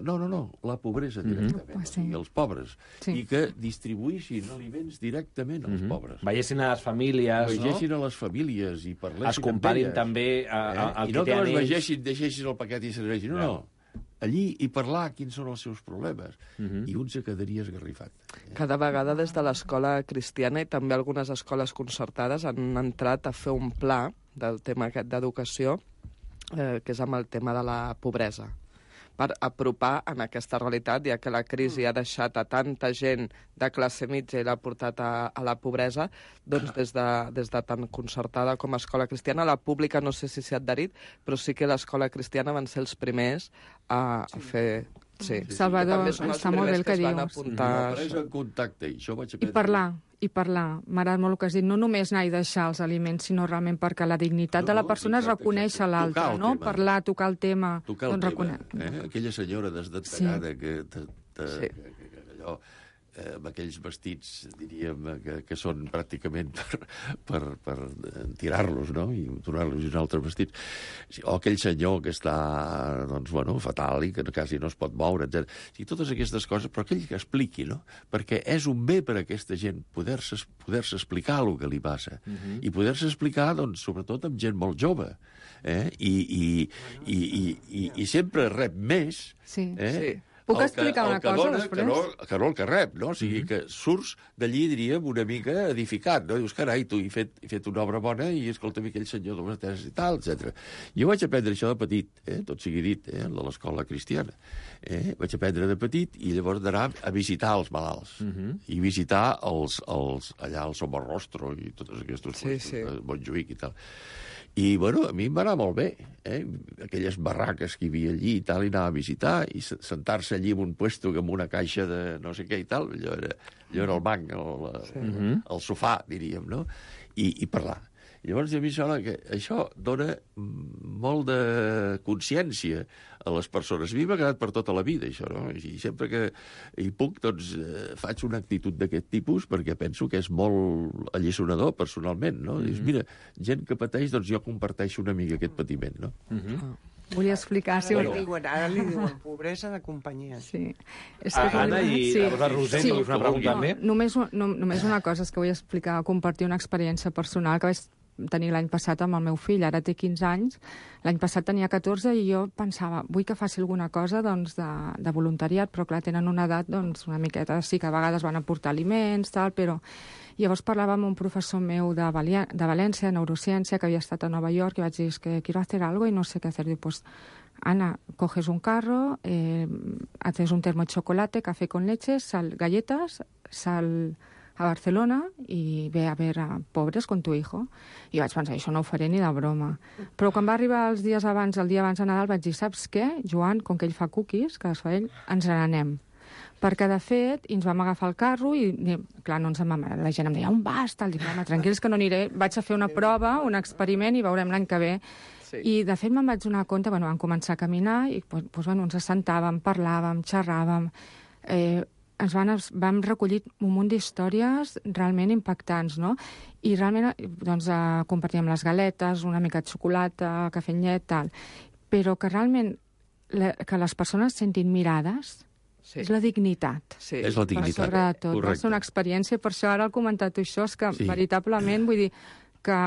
No, la pobresa directament, i els pobres, i que distribuïssin aliments directament als pobres. Veiessin a les famílies, no? Veiessin a les famílies i parlessin es comparin també i no que les vegessin, deixessin el paquet i serveixin, no. Allí i parlar quins són els seus problemes. I un se quedaria esgarrifat. Cada vegada des de l'escola cristiana i també algunes escoles concertades han entrat a fer un pla del tema aquest d'educació que és amb el tema de la pobresa, per apropar en aquesta realitat, ja que la crisi ha deixat a tanta gent de classe mitja i l'ha portat a la pobresa, doncs des de tant concertada com a escola cristiana, la pública no sé si s'hi ha adherit, però sí que l'escola cristiana van ser els primers a fer... Sí. Salvador, està molt bé el que dius. En contacte, i això vaig aprendre. I parlar. M'agrada molt el que has dit. No només anar i deixar els aliments, sinó realment perquè la dignitat de la persona és reconèixer l'altre, no? Parlar, tocar el tema. Tocar el tema. Aquella senyora desdentegada que allò... amb aquells vestits, diríem, que són pràcticament per tirar-los, no?, i donar-los un altre vestit. O aquell senyor que està, doncs, bueno, fatal i que quasi no es pot moure, etc. I totes aquestes coses, però aquell que expliqui, no?, perquè és un bé per a aquesta gent poder-se explicar el que li passa. I poder-se explicar, doncs, sobretot amb gent molt jove. I sempre rep més. Sí. Puc explicar una cosa després? Que no el que rep, no? O sigui, que surts d'allí, diríem, una mica edificat, no? Dius, carai, tu he fet una obra bona i escolta'm aquell senyor de les teses i tal, etc. Jo vaig aprendre això de petit, tot sigui dit, de l'escola cristiana. Vaig aprendre de petit i llavors d'anar a visitar els malalts i visitar allà el Somorrostro i totes aquestes coses, Montjuïc i tal. I, bueno, a mi em va anar molt bé. Aquelles barraques que hi havia allí i tal, i anava a visitar, i sentar-se allí en un puesto amb una caixa de no sé què i tal, allò era el banc, el sofà, diríem, no? I parlar. I llavors a mi sembla que això dona molt de consciència a les persones. A mi m'ha quedat per tota la vida, això, no? I sempre que hi puc, doncs, faig una actitud d'aquest tipus perquè penso que és molt alliçonador, personalment, no? Dius, mira, gent que pateix, doncs jo comparteixo una mica aquest patiment, no? Volia explicar... Ara li diuen pobresa de companyia. Sí. Anna i la Roser, que us una pregunta també. Només una cosa, és que vull explicar, compartir una experiència personal que vaig tenir l'any passat amb el meu fill. Ara té 15 anys, l'any passat tenia 14 i jo pensava, vull que faci alguna cosa doncs, de voluntariat, però clar, tenen una edat doncs, una miqueta, sí que a vegades van aportar aliments, tal, però... Llavors parlava amb un professor meu de València, neurociència, que havia estat a Nova York, i vaig dir, que quiero hacer algo y no sé qué hacer. Diu, pues, Ana, coges un carro, haces un termo de chocolate, café con leche, galletas, sal a Barcelona i ve a ver a pobres con tu hijo. I vaig pensar, això no ho faré ni de broma. Però quan va arribar el dia abans de Nadal, vaig dir, saps què, Joan, com que ell fa cookies, que es fa ell, ens n'anem. Perquè, de fet, ens vam agafar el carro i, clar, no ens la gent em deia, on vas? Dic, home, tranquils que no aniré. Vaig a fer una prova, un experiment, i veurem l'any que ve. Sí. I, de fet, me'n vaig donar compte, vam començar a caminar i ens assentàvem, parlàvem, xerràvem. Vam recollir un munt d'històries realment impactants, no? I realment doncs, compartíem les galetes, una mica de xocolata, cafè amb llet, tal. Però que realment que les persones sentin mirades, sí. És la dignitat. Sí. És la dignitat, sobretot. Correcte. Va ser una experiència, per això ara he comentat això, és que veritablement vull dir que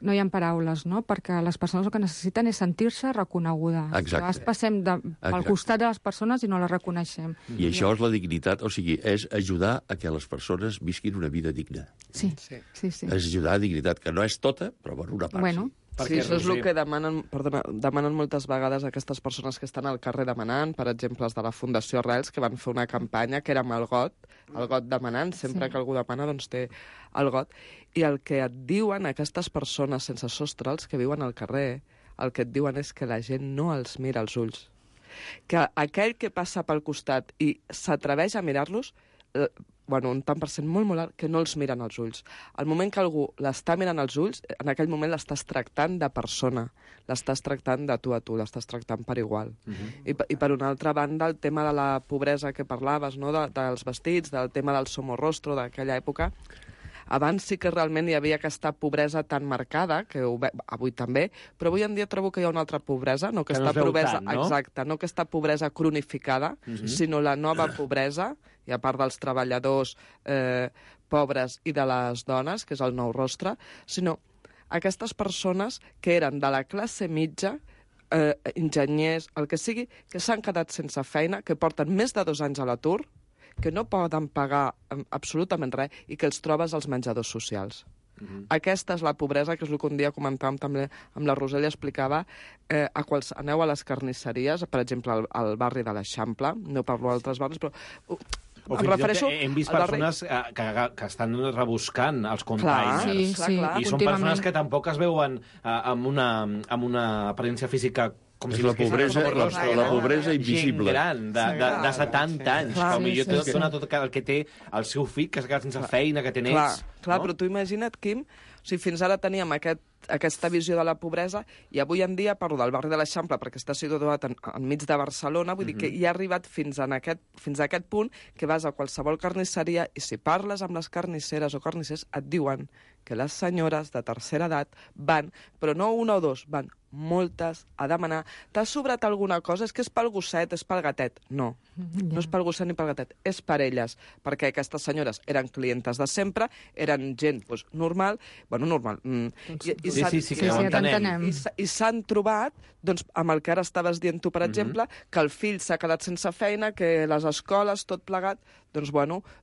no hi ha paraules, no? Perquè les persones el que necessiten és sentir-se reconegudes. Exacte. Llavors passem pel costat de les persones i no les reconeixem. I això és la dignitat, o sigui, és ajudar a que les persones visquin una vida digna. Sí. És ajudar a dignitat, que no és tota, però per una part bueno. sí. Sí, això és el que demanen moltes vegades aquestes persones que estan al carrer demanant, per exemple, els de la Fundació Arrels, que van fer una campanya que era amb el got demanant, sempre que algú demana, doncs té el got. I el que et diuen aquestes persones sense sostre, els que viuen al carrer, el que et diuen és que la gent no els mira als ulls. Que aquell que passa pel costat i s'atreveix a mirar-los, un tant per cent molt alt, que no els miren als ulls. Al moment que algú l'està mirant als ulls, en aquell moment l'estàs tractant de persona, l'estàs tractant de tu a tu, l'estàs tractant per igual. I per una altra banda, el tema de la pobresa que parlaves, no? Dels vestits, del tema del somorrostro d'aquella època, abans sí que realment hi havia aquesta pobresa tan marcada, que avui també, però avui en dia trobo que hi ha una altra pobresa, no aquesta pobresa, no? Exacte, no aquesta pobresa cronificada, sinó la nova pobresa, i a part dels treballadors pobres i de les dones, que és el nou rostre, sinó aquestes persones que eren de la classe mitja, enginyers, el que sigui, que s'han quedat sense feina, que porten més de 2 anys a l'atur, que no poden pagar absolutament res i que els trobes als menjadors socials. Aquesta és la pobresa, que és el que un dia comentàvem també amb la Roser, i explicava, aneu a les carnisseries, per exemple, al barri de l'Eixample, no parlo d'altres barris, però O fins i tot hem vist persones que estan rebuscant els containers. Clar, i són persones que tampoc es veuen amb una aparència física com si la pobresa invisible. Gent gran, de 70 anys. Potser dona tot el que té el seu fill, que s'ha quedat sense feina, que té nets. Clar, però tu imagina't, Quim, fins ara teníem aquesta visió de la pobresa, i avui en dia parlo del barri de l'Eixample perquè està situat enmig de Barcelona, vull dir que hi ha arribat fins a aquest punt que vas a qualsevol carnisseria i si parles amb les carnisseres o carnissers et diuen que les senyores de tercera edat van, però no una o dos, van moltes a demanar, t'ha sobrat alguna cosa? És que és pel gosset, és pel gatet. No, no és pel gosset ni pel gatet, és per elles, perquè aquestes senyores eren clientes de sempre, eren gent normal, i s'han trobat amb el que ara estaves dient tu, per exemple, que el fill s'ha quedat sense feina, que les escoles, tot plegat, doncs,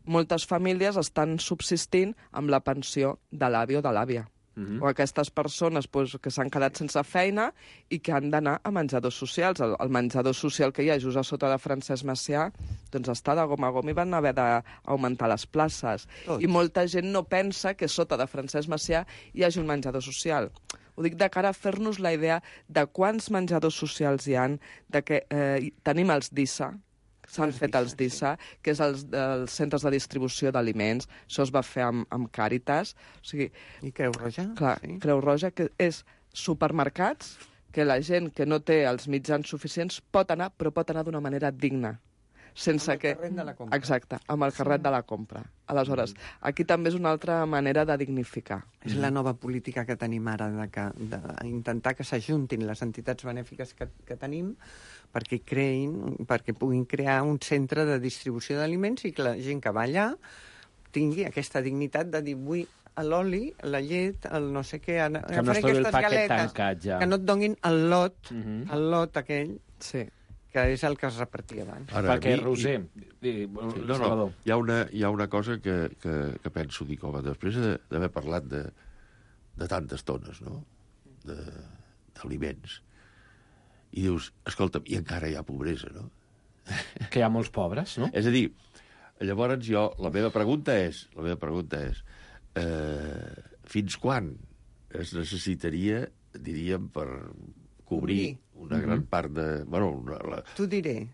moltes famílies estan subsistint amb la pensió de l'avi o de l'àvia. O aquestes persones que s'han quedat sense feina i que han d'anar a menjadors socials. El menjador social que hi ha just a sota de Francesc Macià doncs està de gom a gom i van haver d'augmentar les places. I molta gent no pensa que sota de Francesc Macià hi hagi un menjador social. Ho dic de cara a fer-nos la idea de quants menjadors socials hi han, de que tenim els DISA, s'han fet els DISA, que és els centres de distribució d'aliments. Això es va fer amb Càritas. O sigui, I Creu Roja. Clar, sí. Creu Roja, que és supermercats que la gent que no té els mitjans suficients pot anar, però pot anar d'una manera digna. Sense amb el carret de la compra. Exacte, amb el carret de la compra. Aleshores, aquí també és una altra manera de dignificar. És la nova política que tenim ara, d'intentar que s'ajuntin les entitats benèfiques que tenim perquè puguin crear un centre de distribució d'aliments i que la gent que va allà tingui aquesta dignitat de dir vull l'oli, la llet, el no sé què... Que no es trobi el paquet tancat, ja. Que no et donin el lot aquell... Sí. Que és el que es repartia abans. Ara, perquè, Roser... No, hi ha una cosa que penso, dic, home, després d'haver parlat de tantes tones, no?, d'aliments, i dius, escolta'm, i encara hi ha pobresa, no? Que hi ha molts pobres, no? És a dir, llavors la meva pregunta és fins quan es necessitaria, diríem, per cobrir una gran part de... T'ho diré.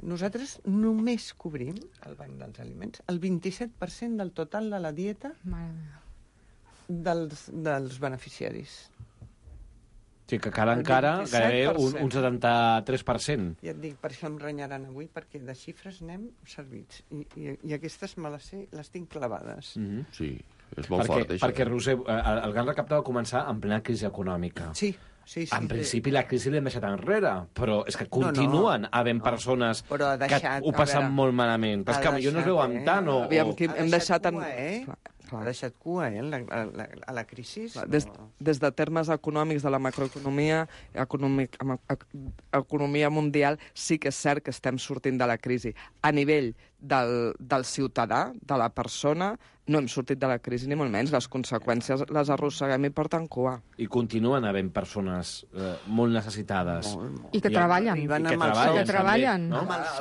Nosaltres només cobrim, al Banc dels Aliments, el 27% del total de la dieta dels beneficiaris. Sí, que encara gairebé un 73%. Ja et dic, per això em renyaran avui, perquè de xifres n'hem servits. I aquestes les tinc clavades. Sí, és molt fort, això. Perquè, Roser, el Gran Recapte va començar en plena crisi econòmica. Sí. En principi la crisi l'hem deixat enrere, però és que continuen havent persones que ho passen molt malament. Però és que potser no es veuen tant o... Hem deixat... Ha deixat cua, a la crisi. Des de termes econòmics de la macroeconomia, economia mundial, sí que és cert que estem sortint de la crisi. A nivell del ciutadà, de la persona, no hem sortit de la crisi ni molt menys. Les conseqüències les arrosseguem i porten cua. I continuen havent persones molt necessitades. I que treballen. Que treballen.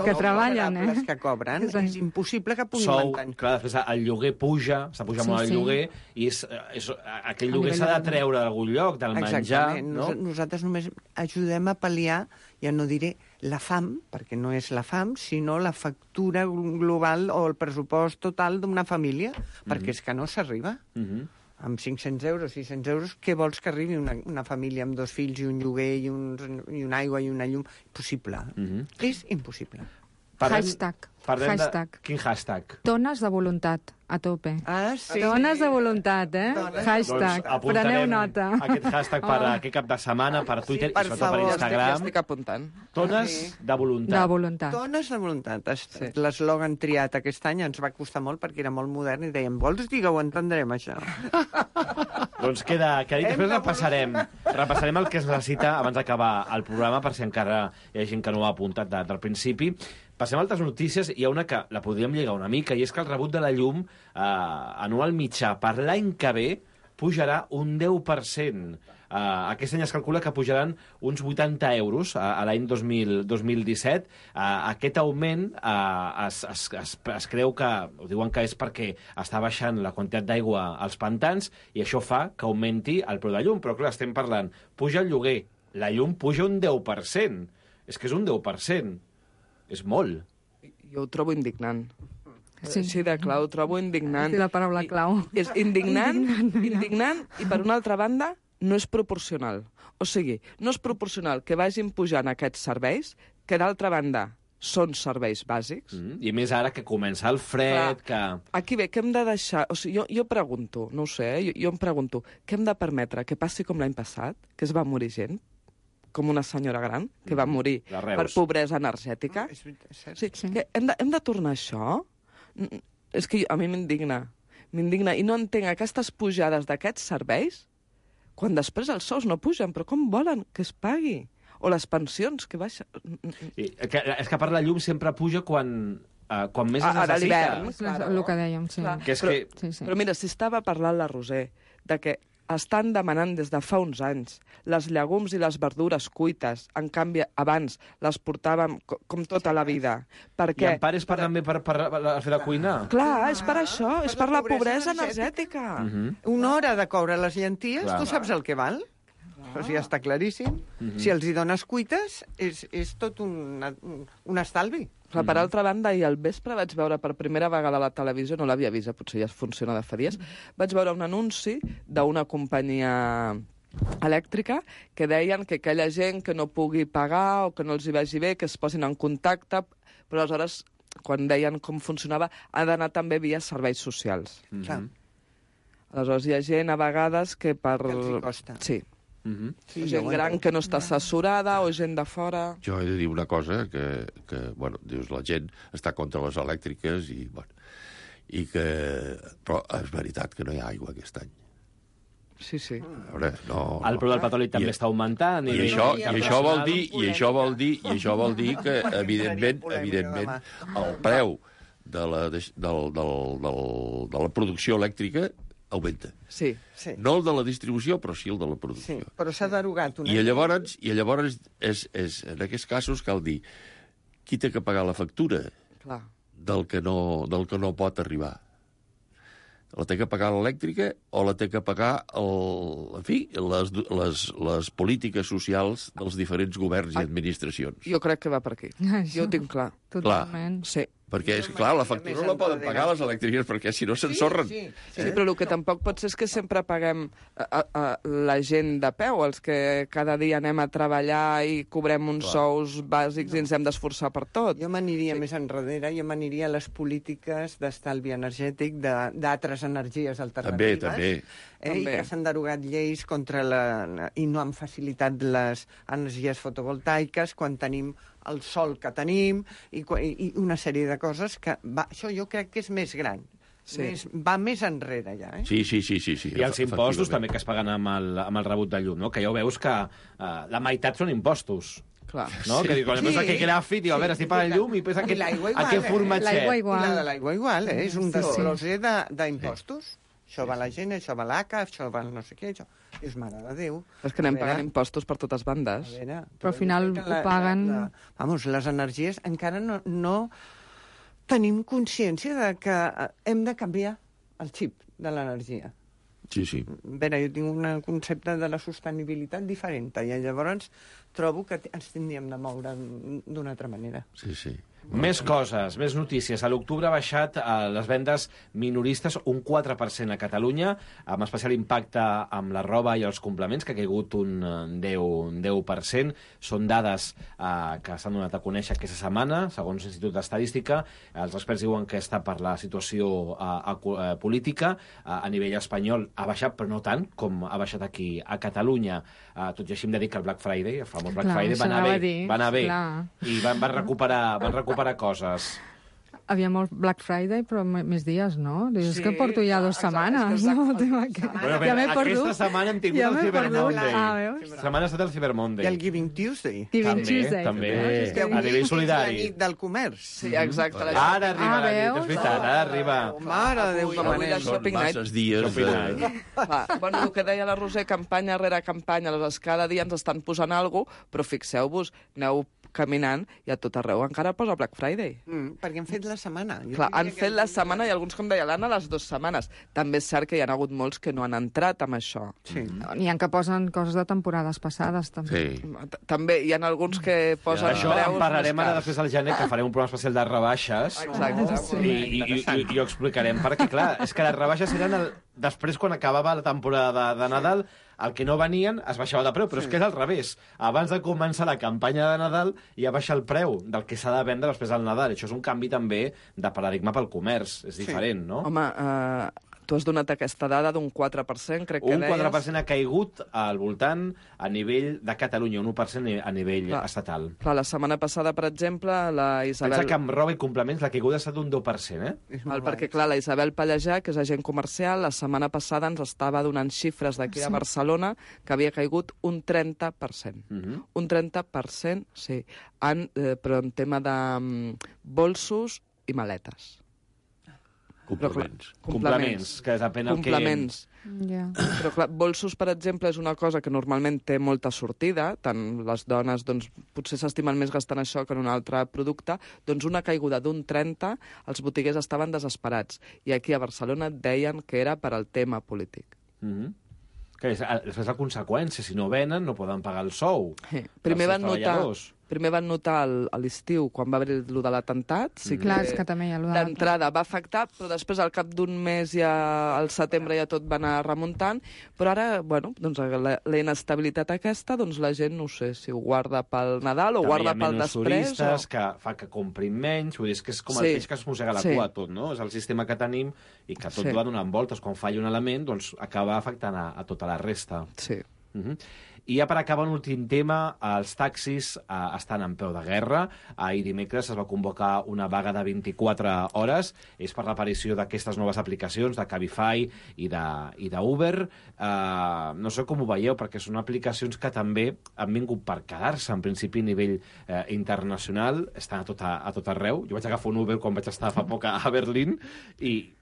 Que treballen, les que cobren. És impossible que puguin mantenir. Clar, després el lloguer puja, s'ha pujat molt el lloguer, i aquell lloguer s'ha de treure d'algun lloc, del menjar. Nosaltres només ajudem a pal·liar, ja no diré la fam, perquè no és la fam, sinó la factura global o el pressupost total d'una família, perquè és que no s'arriba. Amb 500 euros, 600 euros, què vols que arribi una família amb 2 fills i un lloguer i una aigua i una llum? Impossible. És impossible. Hashtag. Quin hashtag? Dones de voluntat, a tope. Ah, sí. Dones de voluntat, Hashtag. Doncs preneu nota. Aquest hashtag per aquest cap de setmana, per Twitter i sobretot per Instagram. Ja estic apuntant. Dones de voluntat. De voluntat. Dones de voluntat. L'eslògan triat aquest any ens va costar molt perquè era molt modern i dèiem, vols dir que ho entendrem, això? Doncs queda dit. Després repassarem el que es necessita abans d'acabar el programa, per si encara hi ha gent que no ho ha apuntat del principi. Passem a altres notícies. Hi ha una que la podríem lligar una mica, i és que el rebut de la llum anual mitjà per l'any que ve pujarà un 10%. Aquest any es calcula que pujaran uns 80 euros a l'any 2017. Aquest augment es creu que, ho diuen que és perquè està baixant la quantitat d'aigua als pantans i això fa que augmenti el preu de llum. Però clar, estem parlant, puja el lloguer, la llum puja un 10%. És que és un 10%. És molt. Jo ho trobo indignant. Sí. Així de clau, ho trobo indignant. Sí, la paraula clau. És indignant, i per una altra banda no és proporcional. O sigui, no és proporcional que vagin pujant aquests serveis, que d'altra banda són serveis bàsics. I més ara que comença el fred, que... Aquí bé, què hem de deixar... O sigui, jo pregunto, no ho sé, jo em pregunto, què hem de permetre que passi com l'any passat, que es va morir gent? Com una senyora gran que va morir per pobresa energètica. Que hem de tornar a això? És que a mi m'indigna. I no entenc aquestes pujades d'aquests serveis quan després els sous no pugen. Però com volen que es pagui? O les pensions que baixen. És que a part la llum sempre puja quan més es necessita. A l'hivern. El que dèiem, sí. Però mira, si estava parlant la Roser de que estan demanant des de fa uns anys les llegums i les verdures cuites. En canvi, abans les portàvem com tota la vida. I en part és també per fer de cuinar? Clar, és per això, és per la pobresa energètica. Una hora de coure les llenties, tu saps el que val? Això ja està claríssim. Si els hi dones cuites, és tot un estalvi. Per altra banda, ahir al vespre vaig veure per primera vegada a la televisió, no l'havia vist, potser ja funciona de fa dies, vaig veure un anunci d'una companyia elèctrica que deien que aquella gent que no pugui pagar o que no els hi vagi bé, que es posin en contacte, però aleshores, quan deien com funcionava, ha d'anar també via serveis socials. Aleshores, hi ha gent a vegades que per... Que els hi costa. Sí. Gent gran que no està assessorada o gent de fora... Jo he de dir una cosa, que bueno, dius, la gent està contra les elèctriques i que... Però és veritat que no hi ha aigua aquest any. Sí. A veure, no... El preu del petroli també està augmentant. I això vol dir que, evidentment, el preu de la producció elèctrica augmenta. Sí. No el de la distribució, però sí el de la producció. Sí, però s'ha derogat una... I llavors en aquests casos cal dir qui té que pagar la factura del que no pot arribar. La té que pagar l'elèctrica o la té que pagar les polítiques socials dels diferents governs i administracions? Jo crec que va per aquí. Jo ho tinc clar. Totalment. Sí. Perquè, és clar, la factura no la poden pagar les elèctriques, perquè si no s'ensorren. Sí, però el que tampoc pot ser és que sempre paguem la gent de peu, els que cada dia anem a treballar i cobrem uns sous bàsics i ens hem d'esforçar per tot. Jo m'aniria més enrere, jo m'aniria a les polítiques d'estalvi energètic d'altres energies alternatives. També. I que s'han derogat lleis i no han facilitat les energies fotovoltaiques quan tenim el sol que tenim i una sèrie de coses que... Això jo crec que és més gran. Va més enrere, ja. Sí. I els impostos també que es paguen amb el rebut de llum, no? Que ja ho veus que la meitat són impostos. Clar. No? Que quan veus aquell gràfic, diu, a veure, estic pagant llum i pensa aquest formatget. L'aigua igual. I la de l'aigua igual, és un desglosser d'impostos. Això va la gent, això va l'ACA, això va no sé què, això... És mare de Déu. És que anem pagant impostos per totes bandes. Però al final ho paguen... Vamos, les energies encara no tenim consciència de que hem de canviar el xip de l'energia. Sí. A veure, jo tinc un concepte de la sostenibilitat diferent i llavors trobo que ens tindríem de moure d'una altra manera. Sí. Més coses, més notícies. A l'octubre ha baixat les vendes minoristes un 4% a Catalunya, amb especial impacte amb la roba i els complements, que ha caigut un 10%. Són dades que s'han donat a conèixer aquesta setmana, segons l'Institut d'Estadística. Els experts diuen que està per la situació política. A nivell espanyol ha baixat, però no tant com ha baixat aquí a Catalunya. Tot i així hem de dir que el Black Friday, el famós Black Friday, va anar bé. I van recuperar coses. Havia molt Black Friday, però més dies, no? És que porto ja 2 setmanes, no? Ja m'he perdut. Aquesta setmana hem tingut el Cyber Monday. Aquesta setmana ha estat el Cyber Monday. I el Giving Tuesday. També. A nivell solidari. La nit del comerç. Sí, exacte. Ara arriba la nit, és veritat, ara arriba. Mare de Déu, com anem. Són masses dies. Bueno, el que deia la Roser, campanya rere campanya, aleshores cada dia ens estan posant alguna cosa, però fixeu-vos, aneu caminant i a tot arreu encara posa Black Friday. Perquè han fet la setmana. Clar, han fet la setmana i alguns, com deia l'Anna, les 2 setmanes. També és cert que hi ha hagut molts que no han entrat amb això. Sí. N'hi ha que posen coses de temporades passades, també. Sí. També hi ha alguns que posen preus. Això en parlarem ara després al gener, que farem un programa especial de rebaixes. Exacte. I ho explicarem, perquè, clar, és que les rebaixes eren després, quan acabava la temporada de Nadal, el que no venien es baixava de preu, però és que és al revés. Abans de començar la campanya de Nadal ja baixa el preu del que s'ha de vendre després del Nadal. Això és un canvi també de paradigma pel comerç. És diferent, no? Home, tu has donat aquesta dada d'un 4%, crec que deies. Un 4% ha caigut al voltant a nivell de Catalunya, un 1% a nivell estatal. Clar, la setmana passada, per exemple, la Isabel... Pensa que amb roba i complements la caiguda ha estat d'un 10%, perquè, clar, la Isabel Pallejà, que és agent comercial, la setmana passada ens estava donant xifres d'aquí de Barcelona que havia caigut un 30%. Un 30%, sí. Però en tema de bolsos i maletes. Complements, que depèn el que... Complements. Yeah. Però clar, bolsos, per exemple, és una cosa que normalment té molta sortida, tant les dones doncs, potser s'estimen més gastant això que en un altre producte, doncs una caiguda d'un 30, els botiguers estaven desesperats. I aquí a Barcelona deien que era per al tema polític. Que és, després la conseqüència, si no venen, no poden pagar el sou. Primer van notar a l'estiu, quan va haver lo de l'atemptat, sí que, clar, és que també hi ha d'entrada va afectar, però després al cap d'un mes, ja al setembre, ja tot va anar remuntant, però ara, bueno, doncs la inestabilitat aquesta, doncs la gent, no sé, si ho guarda pel Nadal o guarda pel després. Turistes, que fa que comprin menys, vull dir, és que és com el peix que es mossega la cua tot, no? És el sistema que tenim i que tot va donant voltes. Quan falla un element, doncs acaba afectant a tota la resta. Sí. I ja per acabar un últim tema, els taxis estan en peu de guerra. Ahir dimecres es va convocar una vaga de 24 hores. És per l'aparició d'aquestes noves aplicacions, de Cabify i d'Uber. No sé com ho veieu, perquè són aplicacions que també han vingut per quedar-se, en principi a nivell internacional. Estan a tot arreu. Jo vaig agafar un Uber quan vaig estar fa poc a Berlín i...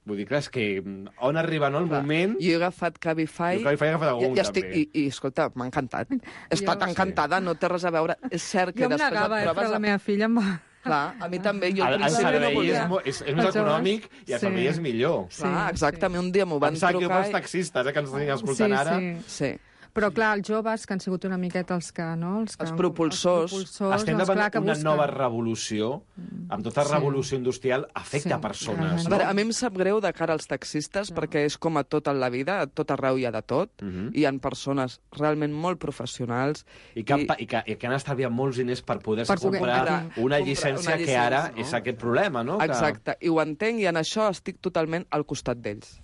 Vull dir, clar, és que on arriba el moment... Jo he agafat Cabify... Jo he agafat algun, també. I, escolta, m'ha encantat. He estat encantada, no té res a veure. És cert que jo després em negava, però la meva filla em va... Clar, a mi també. Jo al principi no volia. És més econòmic i el servei és millor. Clar, exactament. Un dia m'ho van trucar... Em sap pels taxistes, que ens estan escoltant ara. Sí. Però, clar, els joves, que han sigut una miqueta els que... No? Els propulsors. Estem davant d'una nova revolució, amb tota revolució industrial, afecta persones. A veure, a mi em sap greu de cara als taxistes, perquè és com a tot en la vida, a tot arreu hi ha de tot, i hi ha persones realment molt professionals. I que han estalviat molts diners per poder-se comprar una llicència que ara és aquest problema, no? Exacte, i ho entenc, i en això estic totalment al costat d'ells.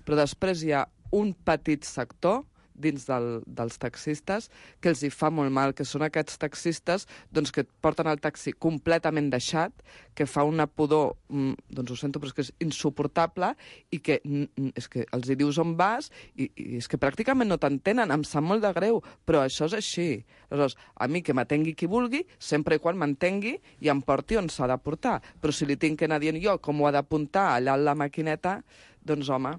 Però després hi ha un petit sector dins dels taxistes, que els hi fa molt mal, que són aquests taxistes doncs, que porten el taxi completament deixat, que fa una pudor, doncs ho sento, però és que és insuportable, i que és que els hi dius on vas, i és que pràcticament no t'entenen, em sap molt de greu, però això és així. Aleshores, a mi que m'atengui qui vulgui, sempre i quan m'entengui i em porti on s'ha de portar. Però si li tinc que anar dient jo com ho ha d'apuntar allà a la maquineta, doncs home...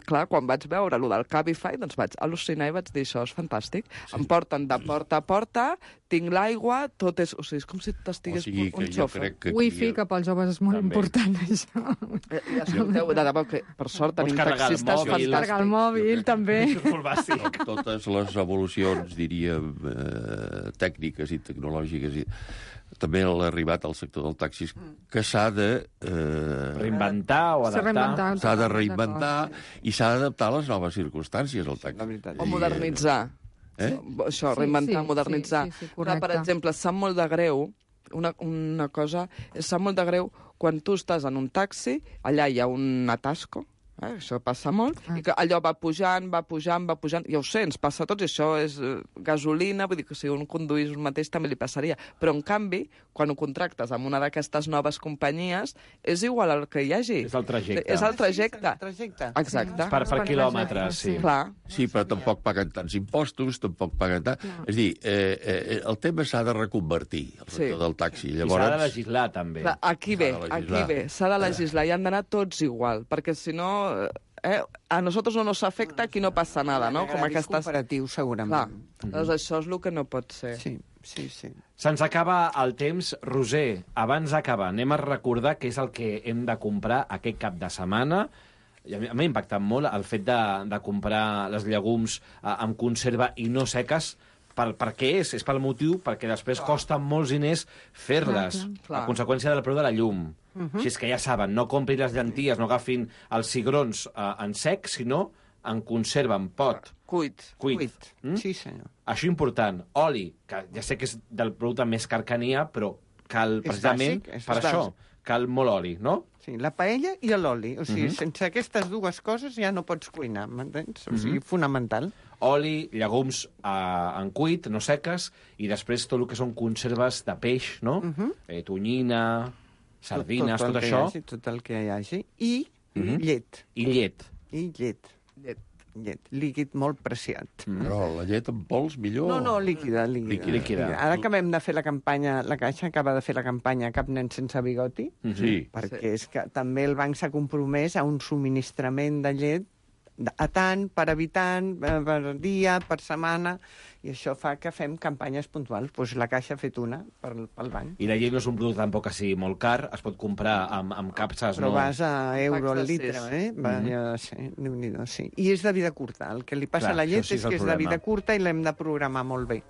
clar, quan vaig veure allò del Cabify, doncs vaig al·lucinar i vaig dir, això és fantàstic. Sí. Em porten de porta a porta, tinc l'aigua, tot és... O sigui, és com si t'estigués un xofer. Wifi, que pels joves és molt important, això. Ja escolteu, de debò que, per sort, tenim taxistes fantàstics. Carregar el mòbil, també. Totes les evolucions, diríem, tècniques i tecnològiques i... també l'arribat al sector del taxi, que s'ha de... reinventar o adaptar. S'ha de reinventar i s'ha d'adaptar a les noves circumstàncies, el taxi. O modernitzar. Això, reinventar, modernitzar. Per exemple, sap molt de greu, una cosa, sap molt de greu quan tu estàs en un taxi, allà hi ha un atasco, això passa molt, i que allò va pujant, ja ho sé, ens passa a tots, i això és gasolina, vull dir que si un conduís un mateix també li passaria, però en canvi, quan ho contractes amb una d'aquestes noves companyies, és igual al que hi hagi. És el trajecte. És el trajecte. Exacte. Per quilòmetres, sí. Clar. Sí, però tampoc paguen tants impostos, tampoc paguen tant... És a dir, el tema s'ha de reconvertir, el sector del taxi. Llavors... I s'ha de legislar, també. Aquí ve, s'ha de legislar, i han d'anar tots igual, perquè si no... a nosotros no nos afecta, aquí no passa nada, no? Com aquestes... cooperatiu, segurament. Doncs això és el que no pot ser. Sí. Se'ns acaba el temps. Roser, abans d'acabar, anem a recordar què és el que hem de comprar aquest cap de setmana. A mi m'ha impactat molt el fet de comprar les llegums amb conserva i no seques. Per què és? És pel motiu perquè després costa molts diners fer-les, a conseqüència del preu de la llum. Així és que ja saben, no comprin les llenties, no agafin els cigrons en sec, sinó en conserva, en pot. Cuit. Sí, senyor. Això important. Oli, que ja sé que és del producte més car que n'hi ha, però cal, precisament, per això, cal molt oli, no? Sí, la paella i l'oli. O sigui, sense aquestes dues coses ja no pots cuinar, m'entens? O sigui, fonamental. Oli, llegums en cuit, no seques, i després tot el que són conserves de peix, no? Tonyina, sardines, tot això. Tot el que hi hagi. I llet. I llet. I llet. Llet líquid molt preciat. Però la llet en pols millor? No, líquida. Ara acabem de fer la campanya, la Caixa acaba de fer la campanya Cap nen sense bigoti, perquè és que també el banc s'ha compromès a un subministrament de llet a tant, per habitant, per dia, per setmana, i això fa que fem campanyes puntuals. Doncs la Caixa ha fet una pel banc. I la llet no és un producte tampoc que sigui molt car, es pot comprar amb capses... Però vas a euro al litre, sí. I és de vida curta. El que li passa a la llet és que és de vida curta i l'hem de programar molt bé.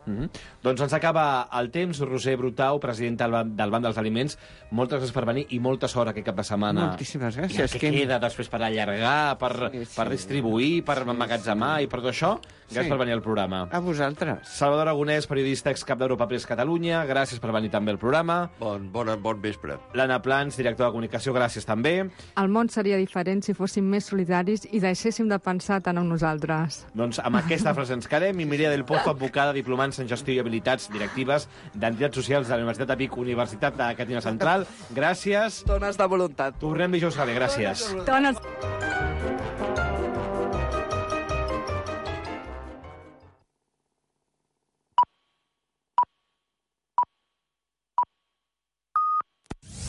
Doncs ens acaba el temps. Roser Brutau, presidenta del Banc dels Aliments, moltes gràcies per venir i molta sort aquest cap de setmana. Moltíssimes gràcies. Què queda després per allargar, per distribuir, per emmagatzemar i per tot això? Gràcies per venir al programa. A vosaltres. Salvador Aragonès, periodista, excap d'Europa Press Catalunya, gràcies per venir també al programa. Bon vespre. L'Anna Plans, directora de comunicació, gràcies també. El món seria diferent si fóssim més solidaris i deixéssim de pensar tant en nosaltres. Doncs amb aquesta frase ens quedem. I Mireia del Pozo, advocada, diplomant-se en gestió i habilitats directives d'entitats socials de la Universitat de Vic, Universitat de Catalunya Central. Gràcies. Dones de voluntat. Tornem dijous que ve. Gràcies. Dones...